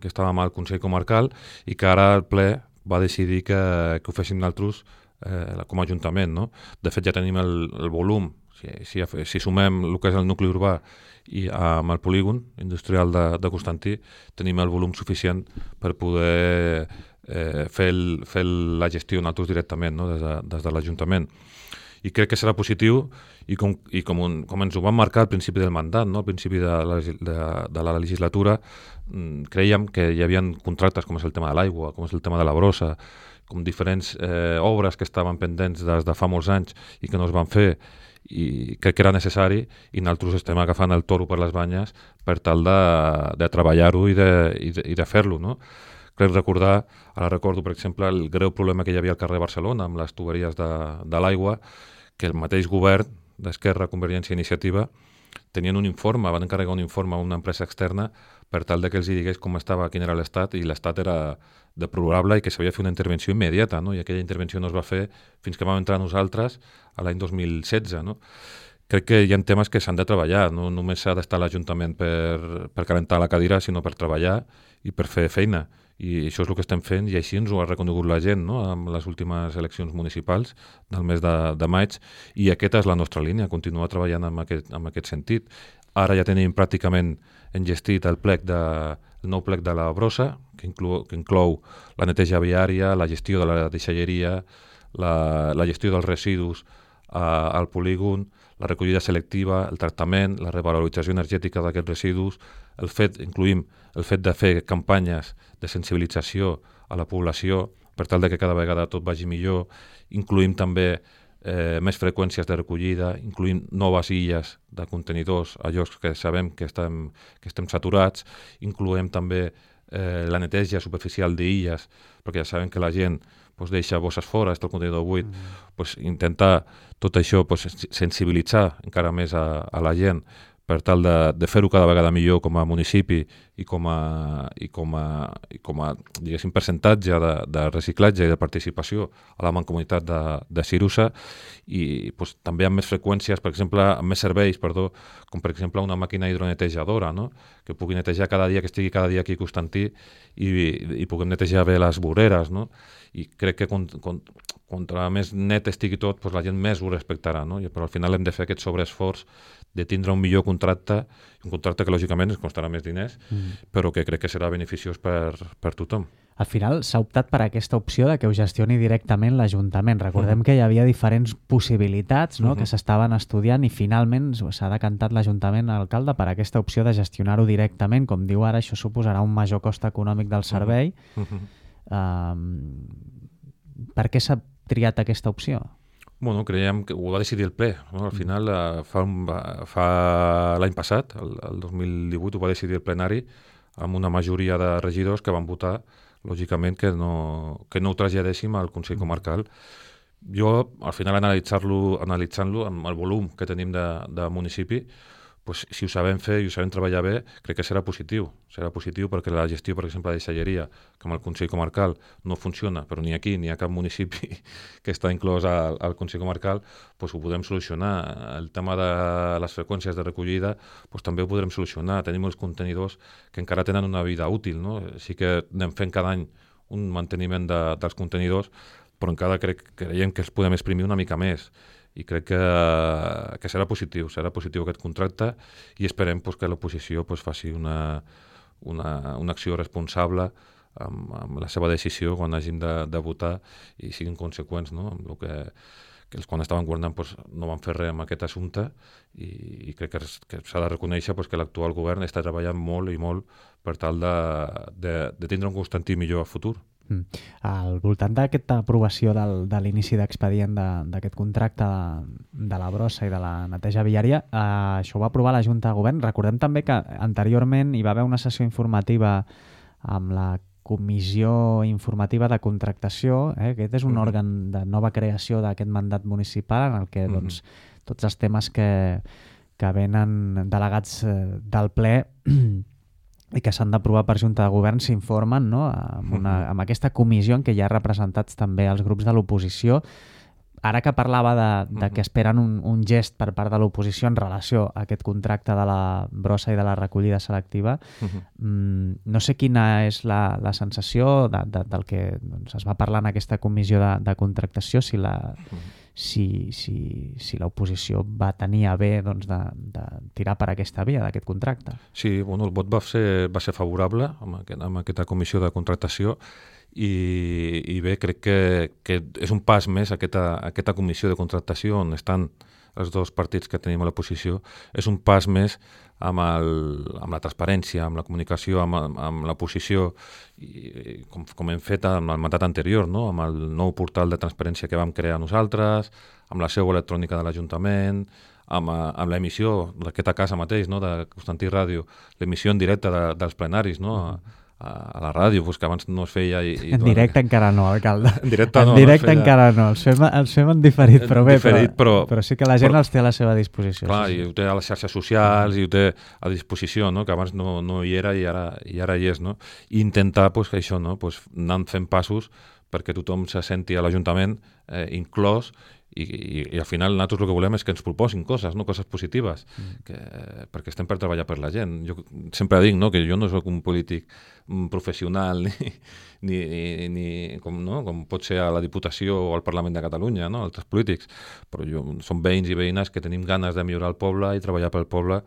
que estava amb el Consell Comarcal, i que ara el ple va decidir que, que ho féssim nosaltres eh, com a Ajuntament, no? De fet, ja tenim el, el volum, Si, si, si sumem el que és el nucli urbà i amb el polígon industrial de, de Constantí, tenim el volum suficient per poder eh, fer, el, fer la gestió nosaltres directament, no? des de, des de l'Ajuntament. I crec que serà positiu i com, i com, un, com ens ho van marcar al principi del mandat, no? Al principi de la, de, de la legislatura, creiem que hi havia contractes com és el tema de l'aigua, com és el tema de la brossa, com diferents eh, obres que estaven pendents des de fa molts anys i que no es van fer, i crec que era necessari, i nosaltres estem agafant el toro per les banyes per tal de, de treballar-ho i de, i de, i de fer-lo, no? Crec recordar, ara recordo per exemple el greu problema que hi havia al carrer Barcelona amb les tuberies de, de l'aigua, que el mateix govern d'Esquerra, Convergència i Iniciativa tenien un informe, van encarregar un informe a una empresa externa per tal de que els digués com estava, quin era l'estat, i l'estat era deplorable i que s'havia de fer una intervenció immediata, no? I aquella intervenció no es va fer fins que vam entrar nosaltres a l'any dos mil setze. No? Crec que hi ha temes que s'han de treballar, no només s'ha d'estar a l'Ajuntament per, per calentar la cadira, sinó per treballar i per fer feina. I això és el que estem fent, i així ens ho ha reconegut la gent, no? Amb les últimes eleccions municipals del mes de, de maig, i aquesta és la nostra línia, continuar treballant en aquest, en aquest sentit. Ara ja tenim pràcticament engestit el plec de, el nou plec de la brossa, que inclou, que inclou la neteja viària, la gestió de la deixalleria, la, la gestió dels residus eh, al polígon, la recollida selectiva, el tractament, la revalorització energètica d'aquests residus, el fet, incluïm el fet de fer campanyes de sensibilització a la població per tal de que cada vegada tot vagi millor, incluïm també eh, més freqüències de recollida, incluïm noves illes de contenidors a llocs que sabem que estem, que estem saturats, incloem també eh, la neteja superficial d'illes, perquè ja sabem que la gent pues, deixa bosses fora, està el contenidor buit, mm. pues, intentar tot això pues, sensibilitzar encara més a, a la gent per tal de, de fer-ho cada vegada millor com a municipi i com a, i com a, i com a diguéssim, percentatge de, de reciclatge i de participació a la mancomunitat de, de Cirusa, i pues, també amb més freqüències, per exemple, amb més serveis, perdó, com per exemple una màquina hidronetejadora, no? Que pugui netejar cada dia, que estigui cada dia aquí a Constantí, i, i puguem netejar bé les voreres, no? I crec que con, con, contra més net estigui tot, pues la gent més ho respectarà, no? Però al final hem de fer aquest sobreesforç de tindre un millor contracte, un contracte que lògicament ens costarà més diners, mm. però que crec que serà beneficiós per, per tothom. Al final s'ha optat per aquesta opció de que ho gestioni directament l'Ajuntament. Recordem uh-huh. que hi havia diferents possibilitats, no? uh-huh. que s'estaven estudiant, i finalment s'ha decantat l'Ajuntament, l'alcalde, per aquesta opció de gestionar-ho directament. Com diu ara, això suposarà un major cost econòmic del servei. Uh-huh. Um, per què s'ha triat aquesta opció? Bueno, creiem que ho va decidir el ple. No? Al final, uh, fa, un, fa l'any passat, el, el dos mil divuit, ho va decidir el plenari amb una majoria de regidors que van votar, lògicament, que no, que no ho traslladéssim al Consell Comarcal. Jo, al final, analitzar-lo, analitzant-lo amb el volum que tenim de, de municipi, pues, si ho sabem fer i ho sabem treballar bé, crec que serà positiu. Serà positiu perquè la gestió, per exemple, de deixalleria, que amb el Consell Comarcal no funciona, però ni aquí ni a cap municipi que està inclòs al, al Consell Comarcal, pues, ho podem solucionar. El tema de les freqüències de recollida pues, també ho podrem solucionar. Tenim els contenidors que encara tenen una vida útil, no? Sí que anem fent cada any un manteniment de, dels contenidors, però encara crec, creiem que els podem exprimir una mica més. I crec que, que serà positiu, serà positiu aquest contracte, i esperem pues, que l'oposició pues, faci una, una, una acció responsable amb, amb la seva decisió quan hagin de, de votar, i siguin conseqüents, no? Amb el que, que els quan estaven governant pues, no van fer res amb aquest assumpte, i, i crec que, que s'ha de reconèixer pues, que l'actual govern està treballant molt i molt per tal de, de, de tindre un Constantí millor a futur. Mm. Al voltant d'aquesta aprovació del, de l'inici d'expedient d'aquest contracte de, de la brossa i de la neteja viària, eh, això ho va aprovar la Junta de Govern. Recordem també que anteriorment hi va haver una sessió informativa amb la Comissió Informativa de Contractació, eh? Aquest és un uh-huh. òrgan de nova creació d'aquest mandat municipal en el que uh-huh. doncs, tots els temes que, que venen delegats del ple i que s'han d'aprovar per Junta de Govern s'informen, no? amb, una, amb aquesta comissió en què hi ha representats també els grups de l'oposició. Ara que parlava de, de que esperen un, un gest per part de l'oposició en relació a aquest contracte de la brossa i de la recollida selectiva, uh-huh. mmm, no sé quina és la, la sensació de, de, del que doncs, es va parlar en aquesta comissió de, de contractació, si, la, uh-huh. si, si, si l'oposició va tenir a bé doncs, de, de tirar per aquesta via d'aquest contracte. Sí, bueno, el vot va ser, va ser favorable amb, aquest, amb aquesta comissió de contractació i, i bé, crec que, que és un pas més aquesta, aquesta comissió de contractació on estan els dos partits que tenim a l'oposició, és un pas més amb, el, amb la transparència, amb la comunicació, amb, amb l'oposició, i, com, com hem fet amb el mandat anterior, no? Amb el nou portal de transparència que vam crear nosaltres, amb la seu electrònica de l'Ajuntament, amb, amb l'emissió d'aquesta casa mateix, no? De Constantí Ràdio, l'emissió en directe de, dels plenaris, no? A, a la ràdio, pues, que abans no es feia... I, i en directe que... encara no, alcalde. En directe no. En directe no feia... encara no, els fem, els fem en diferit, però bé, diferit, però, però, però sí que la gent però, els té a la seva disposició. Clar, sí, sí. i ho té a les xarxes socials, i ho té a disposició, no? Que abans no, no hi era i ara, i ara hi és, no? I intentar, pues, que això, no? Pues, anar fent passos perquè tothom se senti a l'Ajuntament eh, inclòs i, i, i al final nosaltres el que volem és que ens proposin coses, no? Coses positives, mm. que, perquè estem per treballar per la gent. Jo sempre dic, no? Que jo no soc un polític professional ni, ni, ni, ni com, no? Com pot ser a la Diputació o al Parlament de Catalunya, no? Altres polítics, però jo, som veïns i veïnes que tenim ganes de millorar el poble i treballar pel poble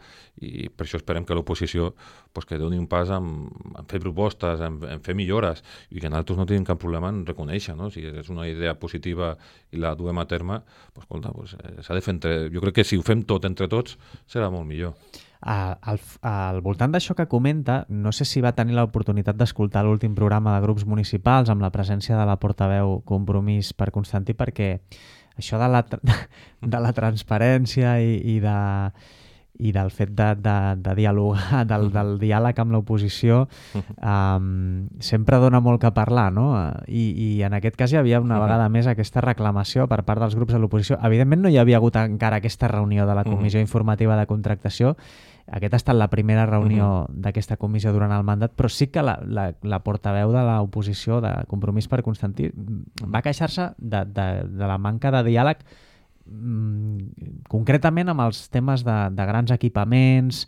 i per això esperem que l'oposició pues, que doni un pas en, en fer propostes, en, en fer millores i que nosaltres no tenim cap problema en reconèixer, no? Si és una idea positiva i la duem a terme, pues, escolta, pues, s'ha de fer entre... Jo crec que si ho fem tot entre tots serà molt millor. Uh, al, al voltant d'això que comenta, no sé si va tenir l'oportunitat d'escoltar l'últim programa de grups municipals amb la presència de la portaveu Compromís per Constantí, perquè això de la, de la transparència i, i, de, i del fet de, de, de dialogar, del, del diàleg amb l'oposició, um, sempre dona molt que parlar, no? I, I en aquest cas hi havia una vegada més aquesta reclamació per part dels grups de l'oposició. Evidentment no hi havia hagut encara aquesta reunió de la Comissió Informativa de Contractació. Aquesta ha estat la primera reunió uh-huh. d'aquesta comissió durant el mandat, però sí que la, la, la portaveu de l'oposició de Compromís per Constantí va queixar-se de, de, de la manca de diàleg mm, concretament amb els temes de, de grans equipaments,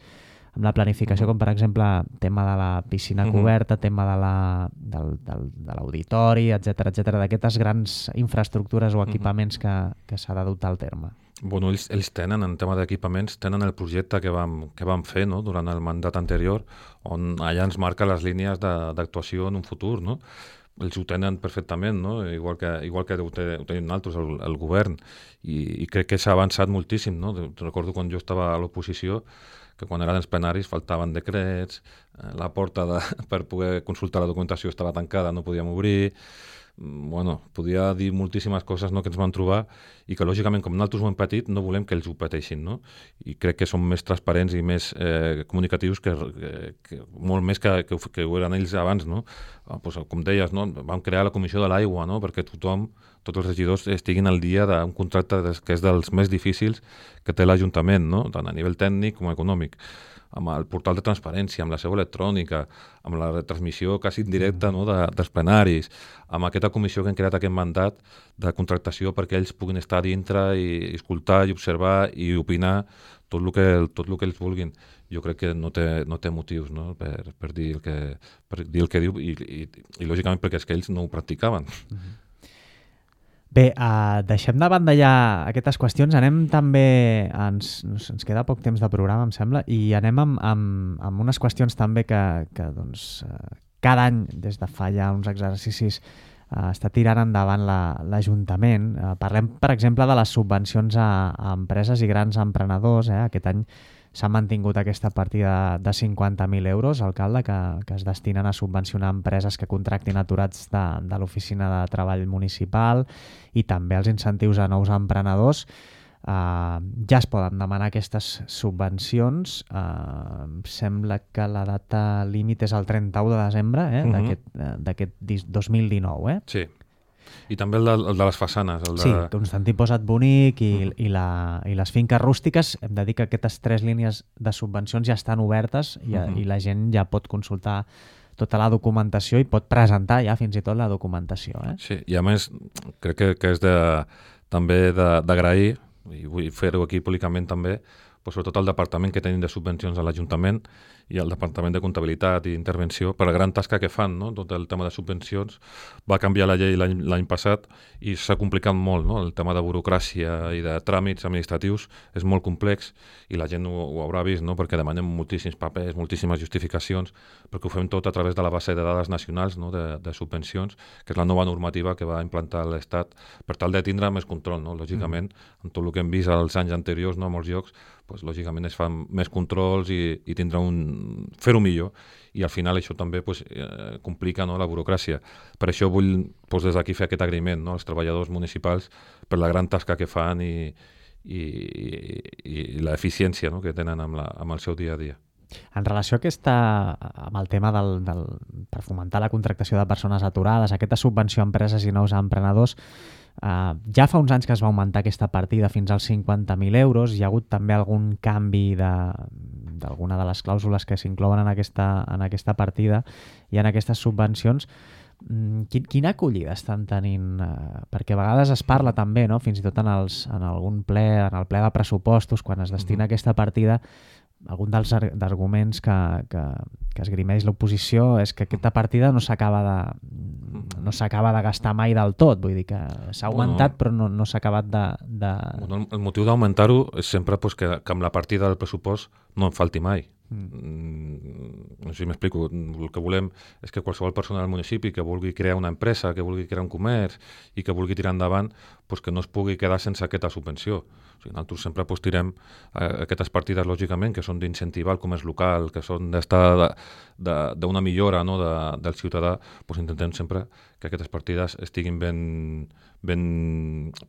amb la planificació, uh-huh. com per exemple tema de la piscina uh-huh. coberta, tema de la, del, del, de l'auditori, etcètera, etcètera, d'aquestes grans infraestructures o equipaments uh-huh. que, que s'ha de dotar al terme. Bueno, ells, ells tenen, en tema d'equipaments, tenen el projecte que vam, que vam fer, no?, durant el mandat anterior, on allà ens marca les línies d'actuació en un futur, no? Ells ho tenen perfectament, no? Igual que, igual que ho, té, ho tenim nosaltres, el, el govern, i, i crec que s'ha avançat moltíssim, no? Recordo quan jo estava a l'oposició, que quan eren els plenaris faltaven decrets, eh, la porta de, per poder consultar la documentació estava tancada, no podíem obrir... Bueno, podia dir moltíssimes coses, no, que ens vam trobar i que lògicament com nosaltres ho hem patit no volem que ells ho pateixin, no? I crec que som més transparents i més eh, comunicatius que, que, que molt més que, que, que ho eren ells abans, no? Ah, pues, com deies, no? Vam crear la comissió de l'aigua, no? Perquè tothom, tots els regidors estiguin al dia d'un contracte que és dels més difícils que té l'Ajuntament, no? Tant a nivell tècnic com econòmic, amb el portal de transparència, amb la seu electrònica, amb la retransmissió quasi indirecta, no, de, dels plenaris, amb aquesta comissió que hem creat aquest mandat de contractació perquè ells puguin estar dintre i escoltar i observar i opinar tot el que, tot el que ells vulguin. Jo crec que no té, no té motius, no?, per, per, dir el que, per dir el que diu i, i, i lògicament perquè és que ells no ho practicaven. Uh-huh. Bé, uh, deixem de banda ja aquestes qüestions, anem també, ens, ens queda poc temps de programa, em sembla, i anem amb, amb, amb unes qüestions també que, que doncs, uh, cada any, des de fa ja uns exercicis, uh, està tirant endavant l'Ajuntament. La, uh, parlem, per exemple, de les subvencions a, a empreses i grans emprenedors. Eh? Aquest any s'ha mantingut aquesta partida de cinquanta mil euros, alcalde, que, que es destinen a subvencionar empreses que contractin aturats de, de l'Oficina de Treball Municipal i també els incentius a nous emprenedors. Uh, ja es poden demanar aquestes subvencions. Uh, em sembla que la data límit és el trenta-u de desembre eh, uh-huh. d'aquest dos mil dinou. Eh? Sí. I també el de, el de les façanes. El de... Sí, Constantí Posat Bonic i, mm. i, la, i les finques rústiques. Hem de dir que aquestes tres línies de subvencions ja estan obertes i, mm-hmm. i la gent ja pot consultar tota la documentació i pot presentar ja fins i tot la documentació. Eh? Sí, i a més crec que, que és de, també d'agrair, i vull fer-ho aquí públicament també, pues, sobretot el departament que tenim de subvencions a l'Ajuntament i el departament de comptabilitat i intervenció, per la gran tasca que fan, no? Tot el tema de subvencions. Va canviar la llei l'any passat i s'ha complicat molt, no? El tema de burocràcia i de tràmits administratius és molt complex i la gent ho, ho haurà vist, no? Perquè demanem moltíssims papers, moltíssimes justificacions, perquè ho fem tot a través de la base de dades nacionals, no? de, de subvencions, que és la nova normativa que va implantar l'Estat per tal de tindre més control, no? Lògicament, mm. amb tot el que hem vist als anys anteriors, no? A molts llocs, pues, lògicament es fan més controls i, i tindrà un... fer-ho millor, i al final això també pues, eh, complica, no? La burocràcia. Per això vull pues, des d'aquí fer aquest agraïment, no? Als treballadors municipals per la gran tasca que fan i, i, i, i l'eficiència, no? Que tenen amb, la, amb el seu dia a dia. En relació a aquesta, amb el tema del, del, per fomentar la contractació de persones aturades, aquesta subvenció a empreses i nous emprenedors, eh, ja fa uns anys que es va augmentar aquesta partida fins als cinquanta mil euros. Hi ha hagut també algun canvi d'alguna de, de les clàusules que s'inclouen en, aquesta, en aquesta partida i en aquestes subvencions. Quin, quina acollida estan tenint? Eh, perquè a vegades es parla també, no? Fins i tot en, els, en algun ple, en el ple de pressupostos, quan es destina mm-hmm. aquesta partida, algun dels arguments que, que, que esgrimeix l'oposició és que aquesta partida no s'acaba de, no s'acaba de gastar mai del tot, vull dir que s'ha augmentat bueno, però no, no s'ha acabat de... de... Bueno, el motiu d'augmentar-ho és sempre pues, que, que amb la partida del pressupost no en falti mai. Mm. No sé si m'explico. El que volem és que qualsevol persona del municipi que vulgui crear una empresa, que vulgui crear un comerç i que vulgui tirar endavant, pues que no es pugui quedar sense aquesta subvenció. O sigui, nosaltres sempre pues, tirem eh, aquestes partides, lògicament, que són d'incentivar el comerç local, que són d'estar d'una millora, no, de, del ciutadà, pues intentem sempre que aquestes partides estiguin ben, ben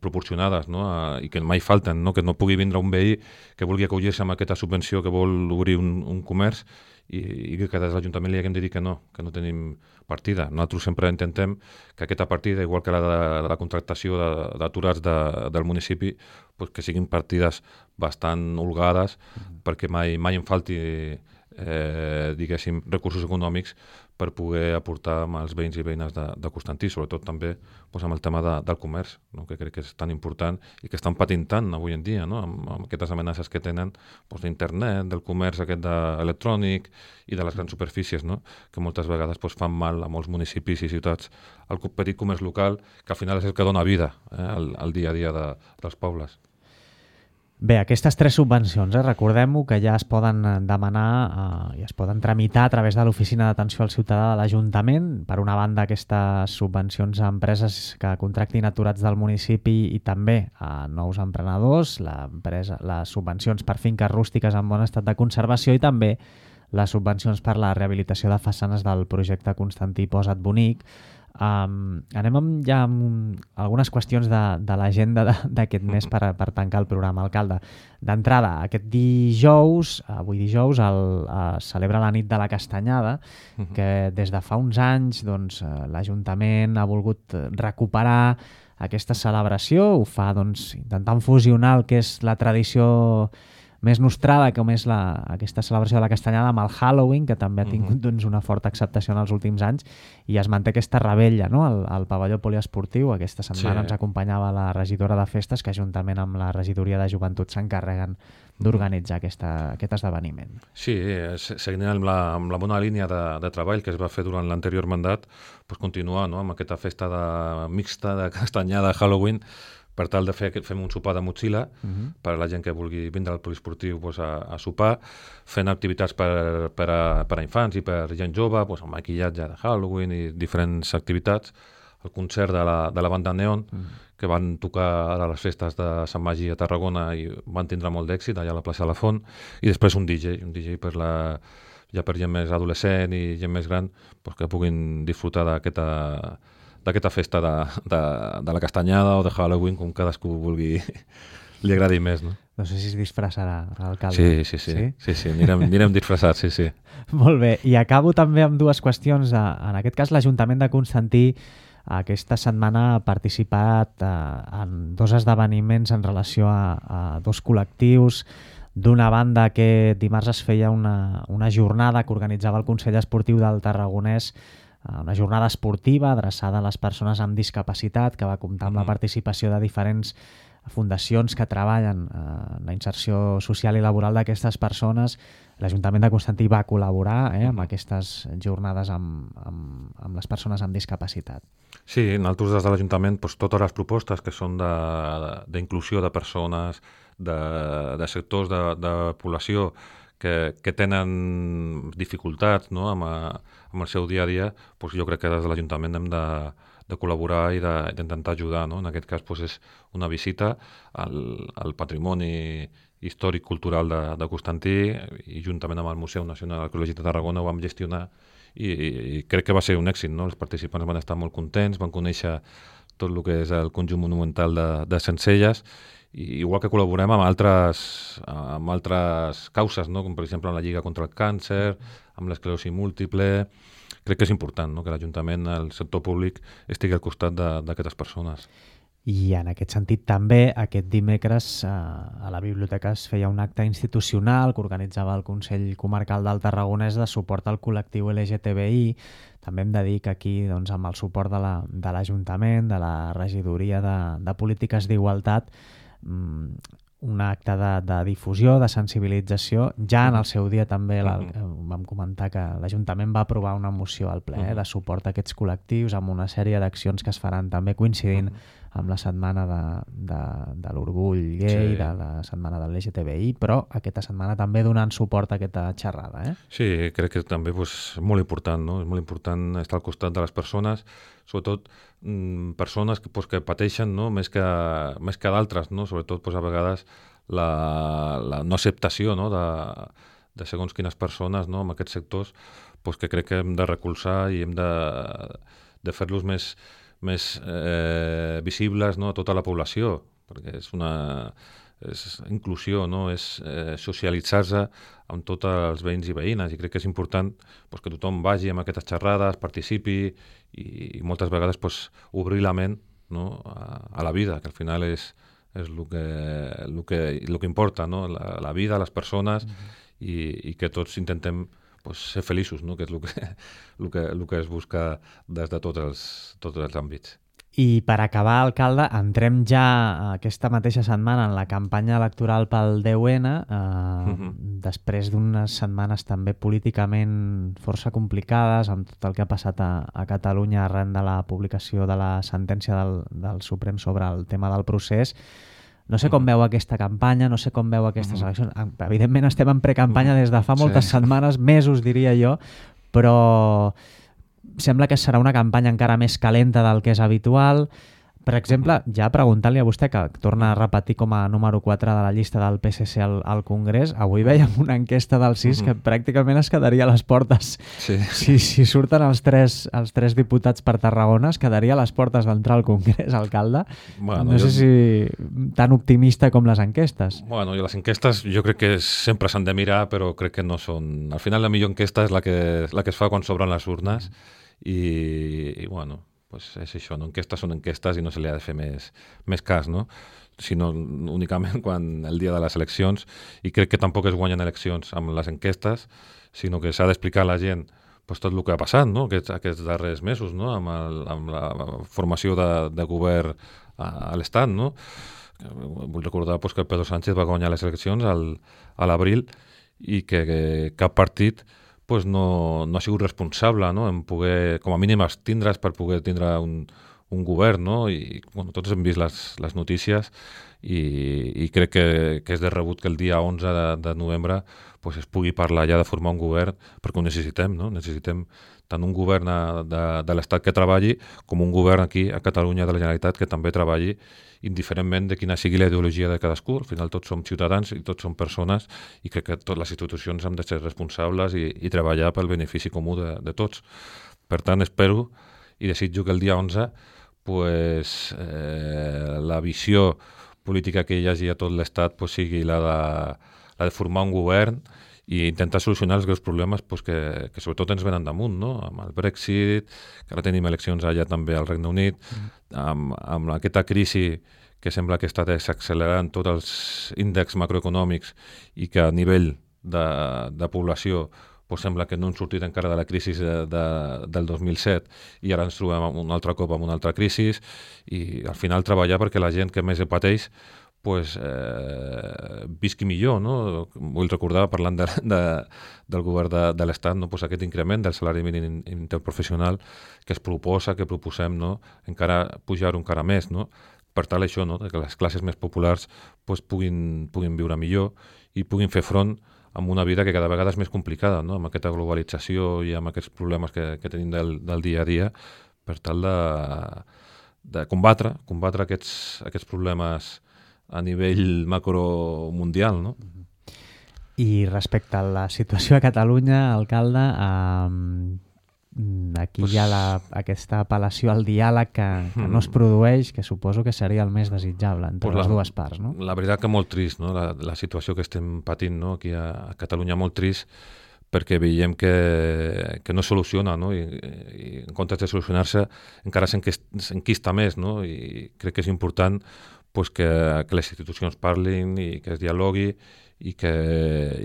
proporcionades, no? A, i que mai falten, no? Que no pugui vindre un veí que vulgui acollir-se amb aquesta subvenció que vol obrir un, un comerç i, i que des de l'Ajuntament li haguem de dir que no, que no tenim partida. Nosaltres sempre intentem que aquesta partida, igual que la de, de la contractació d'aturats de, de, del municipi, pues que siguin partides bastant holgades mm. perquè mai, mai en falti eh, diguéssim, recursos econòmics per poder aportar amb els veïns i veïnes de, de Constantí, sobretot també doncs, amb el tema de, del comerç, no? Que crec que és tan important i que estan patint tant avui en dia, no? amb, amb aquestes amenaces que tenen doncs, d'internet, del comerç aquest de, electrònic i de les grans superfícies, no? Que moltes vegades doncs, fan mal a molts municipis i ciutats al petit comerç local, que al final és el que dona vida eh, al, al dia a dia de, dels pobles. Bé, aquestes tres subvencions, eh, recordem-ho que ja es poden demanar eh, i es poden tramitar a través de l'Oficina d'Atenció al Ciutadà de l'Ajuntament. Per una banda, aquestes subvencions a empreses que contractin aturats del municipi i també a nous emprenedors, les subvencions per finques rústiques en bon estat de conservació i també les subvencions per la rehabilitació de façanes del projecte Constantí Posa't Bonic. Um, anem amb, ja amb algunes qüestions de, de l'agenda d'aquest mes per, per tancar el programa, alcalde. D'entrada, aquest dijous, avui dijous, el, es celebra la nit de la Castanyada, que des de fa uns anys doncs, l'Ajuntament ha volgut recuperar aquesta celebració, ho fa doncs, intentant fusionar el que és la tradició més nostrada, com és la, aquesta celebració de la Castanyada amb el Halloween, que també ha tingut doncs, una forta acceptació en els últims anys, i es manté aquesta rebella, no? al, al pavelló poliesportiu. Aquesta setmana sí. ens acompanyava la regidora de festes, que juntament amb la regidoria de joventut s'encarreguen d'organitzar aquesta, aquest esdeveniment. Sí, seguint amb la, amb la bona línia de, de treball que es va fer durant l'anterior mandat, pues continuar, no? Amb aquesta festa de, mixta de Castanyada Halloween, per tal de fer fem un sopar de motxilla uh-huh. per a la gent que vulgui vindre al poliesportiu pues, a, a sopar, fent activitats per, per, a, per a infants i per gent jove, pues, amb maquillatge de Halloween i diferents activitats, el concert de la, de la banda Neon, uh-huh. que van tocar a les festes de Sant Magí a Tarragona i van tindre molt d'èxit allà a la plaça de la Font, i després un D J, un D J per la, ja per gent més adolescent i gent més gran, pues, que puguin disfrutar d'aquesta d'aquesta festa de, de, de la Castanyada o de Halloween, com cadascú vulgui, li agradi més, no? No sé si es disfressarà l'alcalde. Sí, sí, sí, sí, sí, sí anirem, anirem disfressats, sí, sí. Molt bé, i acabo també amb dues qüestions. En aquest cas, l'Ajuntament de Constantí aquesta setmana ha participat en dos esdeveniments en relació a, a dos col·lectius. D'una banda, que dimarts es feia una, una jornada que organitzava el Consell Esportiu del Tarragonès, una jornada esportiva adreçada a les persones amb discapacitat, que va comptar amb la participació de diferents fundacions que treballen en la inserció social i laboral d'aquestes persones. L'Ajuntament de Constantí va col·laborar eh, amb aquestes jornades amb, amb, amb les persones amb discapacitat. Sí, nosaltres des de l'Ajuntament doncs, totes les propostes que són d'inclusió de, de persones, de, de sectors de, de població que, que tenen dificultats no, amb, a, amb el seu dia a dia, doncs jo crec que des de l'Ajuntament hem de, de col·laborar i d'intentar ajudar. No? En aquest cas doncs, és una visita al, al patrimoni històric cultural de, de Constantí i juntament amb el Museu Nacional Arqueològic de Tarragona ho vam gestionar i, i, i crec que va ser un èxit. No? Els participants van estar molt contents, van conèixer tot el que és el conjunt monumental de, de Sencelles, i igual que col·laborem amb altres, amb altres causes, no? Com per exemple amb la Lliga contra el Càncer, amb l'esclerosi múltiple. Crec que és important no? Que l'Ajuntament, el sector públic, estigui al costat d'aquestes persones. I en aquest sentit també aquest dimecres eh, a la biblioteca es feia un acte institucional que organitzava el Consell Comarcal del Tarragonès de suport al col·lectiu L G T B I. També hem de dir que aquí doncs, amb el suport de l'Ajuntament, la, de, de la regidoria de, de polítiques d'igualtat, mm, un acte de, de difusió, de sensibilització. Ja en el seu dia també la, vam comentar que l'Ajuntament va aprovar una moció al ple eh, de suport a aquests col·lectius amb una sèrie d'accions que es faran també coincidint amb la setmana de, de, de l'orgull gay, sí. de la setmana de l'L G T B I, però aquesta setmana també donant suport a aquesta xerrada. Eh? Sí, crec que també és pues, molt important, no? És molt important estar al costat de les persones, sobretot mmm, persones que, pues, que pateixen no? més que, més que d'altres, no? Sobretot pues, a vegades la, la no acceptació no? de, de segons quines persones no? en aquests sectors, pues, que crec que hem de recolzar i hem de, de fer-los més més eh, visibles no, a tota la població, perquè és una és inclusió, no? És eh, socialitzar-se amb tots els veïns i veïnes, i crec que és important pues, que tothom vagi amb aquestes xerrades, participi i, i moltes vegades pues, obrir la ment no? a, a la vida, que al final és, és el que, el que, el que importa, no? la, la vida, les persones, mm-hmm. i, i que tots intentem pues, ser feliços, no? Que és el que, el, que, el que es busca des de tots els, tots els àmbits. I per acabar, alcalde, entrem ja aquesta mateixa setmana en la campanya electoral pel deu ene, eh, mm-hmm. després d'unes setmanes també políticament força complicades, amb tot el que ha passat a, a Catalunya arran de la publicació de la sentència del, del Suprem sobre el tema del procés. No sé com veu aquesta campanya, no sé com veu aquestes eleccions. Evidentment estem en precampanya des de fa moltes sí. setmanes, mesos diria jo, però sembla que serà una campanya encara més calenta del que és habitual. Per exemple, ja preguntant-li a vostè, que torna a repetir com a número quatre de la llista del P S C al, al Congrés, avui veiem una enquesta del sis que pràcticament es quedaria a les portes. Sí. Si, si surten els tres, els tres diputats per Tarragona, es quedaria a les portes d'entrar al Congrés, alcalde. Bueno, no sé jo... si tan optimista com les enquestes. Bueno, i les enquestes jo crec que sempre s'han de mirar, però crec que no són... Al final la millor enquesta és la que, la que es fa quan s'obren les urnes i, i bueno... pues és això, no? Enquestes són enquestes i no se li ha de fer més, més cas, no? Sinó únicament quan el dia de les eleccions, i crec que tampoc es guanyen eleccions amb les enquestes, sinó que s'ha d'explicar a la gent pues, tot el que ha passat no? aquests, aquests darrers mesos, no? amb, el, amb la formació de, de govern a, a l'Estat. No? Vull recordar pues, que Pedro Sánchez va guanyar les eleccions al, a l'abril i que, que cap partit pues no, no ha sigut responsable no? en poder, com a mínim, abstindre's per poder tindre un, un govern, no? I bueno, tots hem vist les, les notícies i, i crec que, que és de rebut que el dia onze de, de novembre pues, es pugui parlar ja de formar un govern, perquè ho necessitem, no? Necessitem tant un govern de, de l'Estat que treballi com un govern aquí a Catalunya de la Generalitat que també treballi indiferentment de quina sigui la ideologia de cadascú. Al final tots som ciutadans i tots som persones i crec que totes les institucions han de ser responsables i, i treballar pel benefici comú de, de tots. Per tant, espero i desitjo que el dia onze pues, eh, la visió política que hi hagi a tot l'Estat pues, sigui la de, la de formar un govern i intentar solucionar els greus problemes pues, que, que sobretot ens venen damunt, no? Amb el Brexit, que ara tenim eleccions allà també al Regne Unit, mm. amb, amb aquesta crisi que sembla que està desaccelerant tots els índexs macroeconòmics i que a nivell de, de població pues sembla que no hem sortit encara de la crisi de, de, del dos mil set i ara ens trobem un altre cop amb una altra crisi i al final treballar perquè la gent que més ho pateix pues, eh, visqui millor. No? Vull recordar, parlant de, de, del govern de, de l'Estat, no? Pues aquest increment del salari mínim interprofessional que es proposa, que proposem, no? Encara pujar encara més, no? Per tal això, no? Que les classes més populars pues, puguin, puguin viure millor i puguin fer front amb una vida que cada vegada és més complicada, no? Amb aquesta globalització i amb aquests problemes que, que tenim del, del dia a dia, per tal de, de combatre, combatre aquests, aquests problemes a nivell macromundial, no? I respecte a la situació a Catalunya, alcalde, eh, aquí pues... hi ha la, aquesta apel·lació al diàleg que, que no es produeix, que suposo que seria el més desitjable entre pues les la, dues parts, no? La veritat que molt trist, no? La, la situació que estem patint, no? Aquí a, a Catalunya, molt trist, perquè veiem que, que no soluciona, no? I, i en comptes de solucionar-se encara s'enquista més, no? I crec que és important pues, que, que les institucions parlin i que es dialogui i que,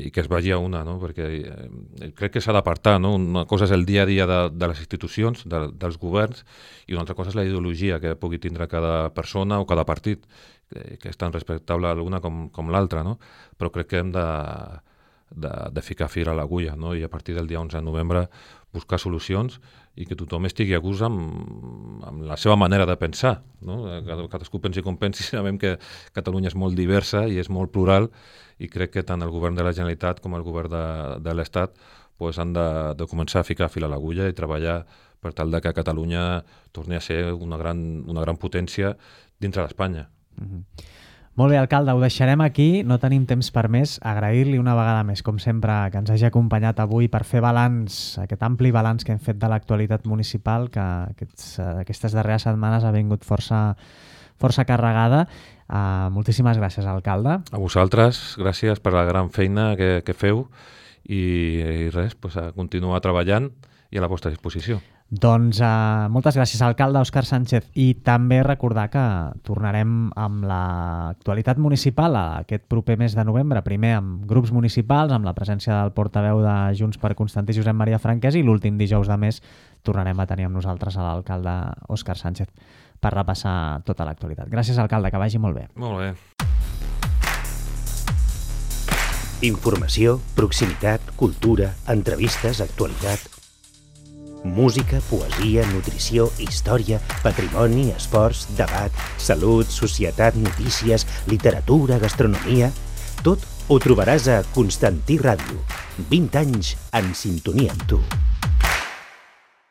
i que es vagi a una, no? Perquè eh, crec que s'ha d'apartar, no? Una cosa és el dia a dia de, de les institucions, de, dels governs, i una altra cosa és la ideologia que pugui tindre cada persona o cada partit, que, que és tan respectable l'una com, com l'altra, no? Però crec que hem de, de, de ficar fil a l'agulla, no? I a partir del dia onze de novembre buscar solucions i que tothom estigui a gust amb, amb la seva manera de pensar, no? Cadascú pensi com pensi, sabem que Catalunya és molt diversa i és molt plural i crec que tant el govern de la Generalitat com el govern de, de l'Estat pues, han de, de començar a ficar fil a l'agulla i treballar per tal de que Catalunya torni a ser una gran, una gran potència dintre d'Espanya. Mm-hmm. Molt bé, alcalde, ho deixarem aquí, no tenim temps per més. Agrair-li una vegada més, com sempre, que ens hagi acompanyat avui per fer balanç, aquest ampli balanç que hem fet de l'actualitat municipal, que aquests, aquestes darreres setmanes ha vingut força, força carregada. Uh, moltíssimes gràcies, alcalde. A vosaltres, gràcies per la gran feina que, que feu i, i res, pues, a continuar treballant i a la vostra disposició. Doncs uh, moltes gràcies, alcalde Òscar Sánchez, i també recordar que tornarem amb l'actualitat municipal aquest proper mes de novembre, primer amb grups municipals, amb la presència del portaveu de Junts per Constantí, Josep Maria Franquès, i l'últim dijous de mes tornarem a tenir amb nosaltres a l'alcalde Òscar Sánchez per repassar tota l'actualitat. Gràcies, alcalde, que vagi molt bé. Molt bé. Informació, proximitat, cultura, entrevistes, actualitat... Música, poesia, nutrició, història, patrimoni, esports, debat, salut, societat, notícies, literatura, gastronomia... Tot ho trobaràs a Constantí Ràdio. vint anys en sintonia amb tu.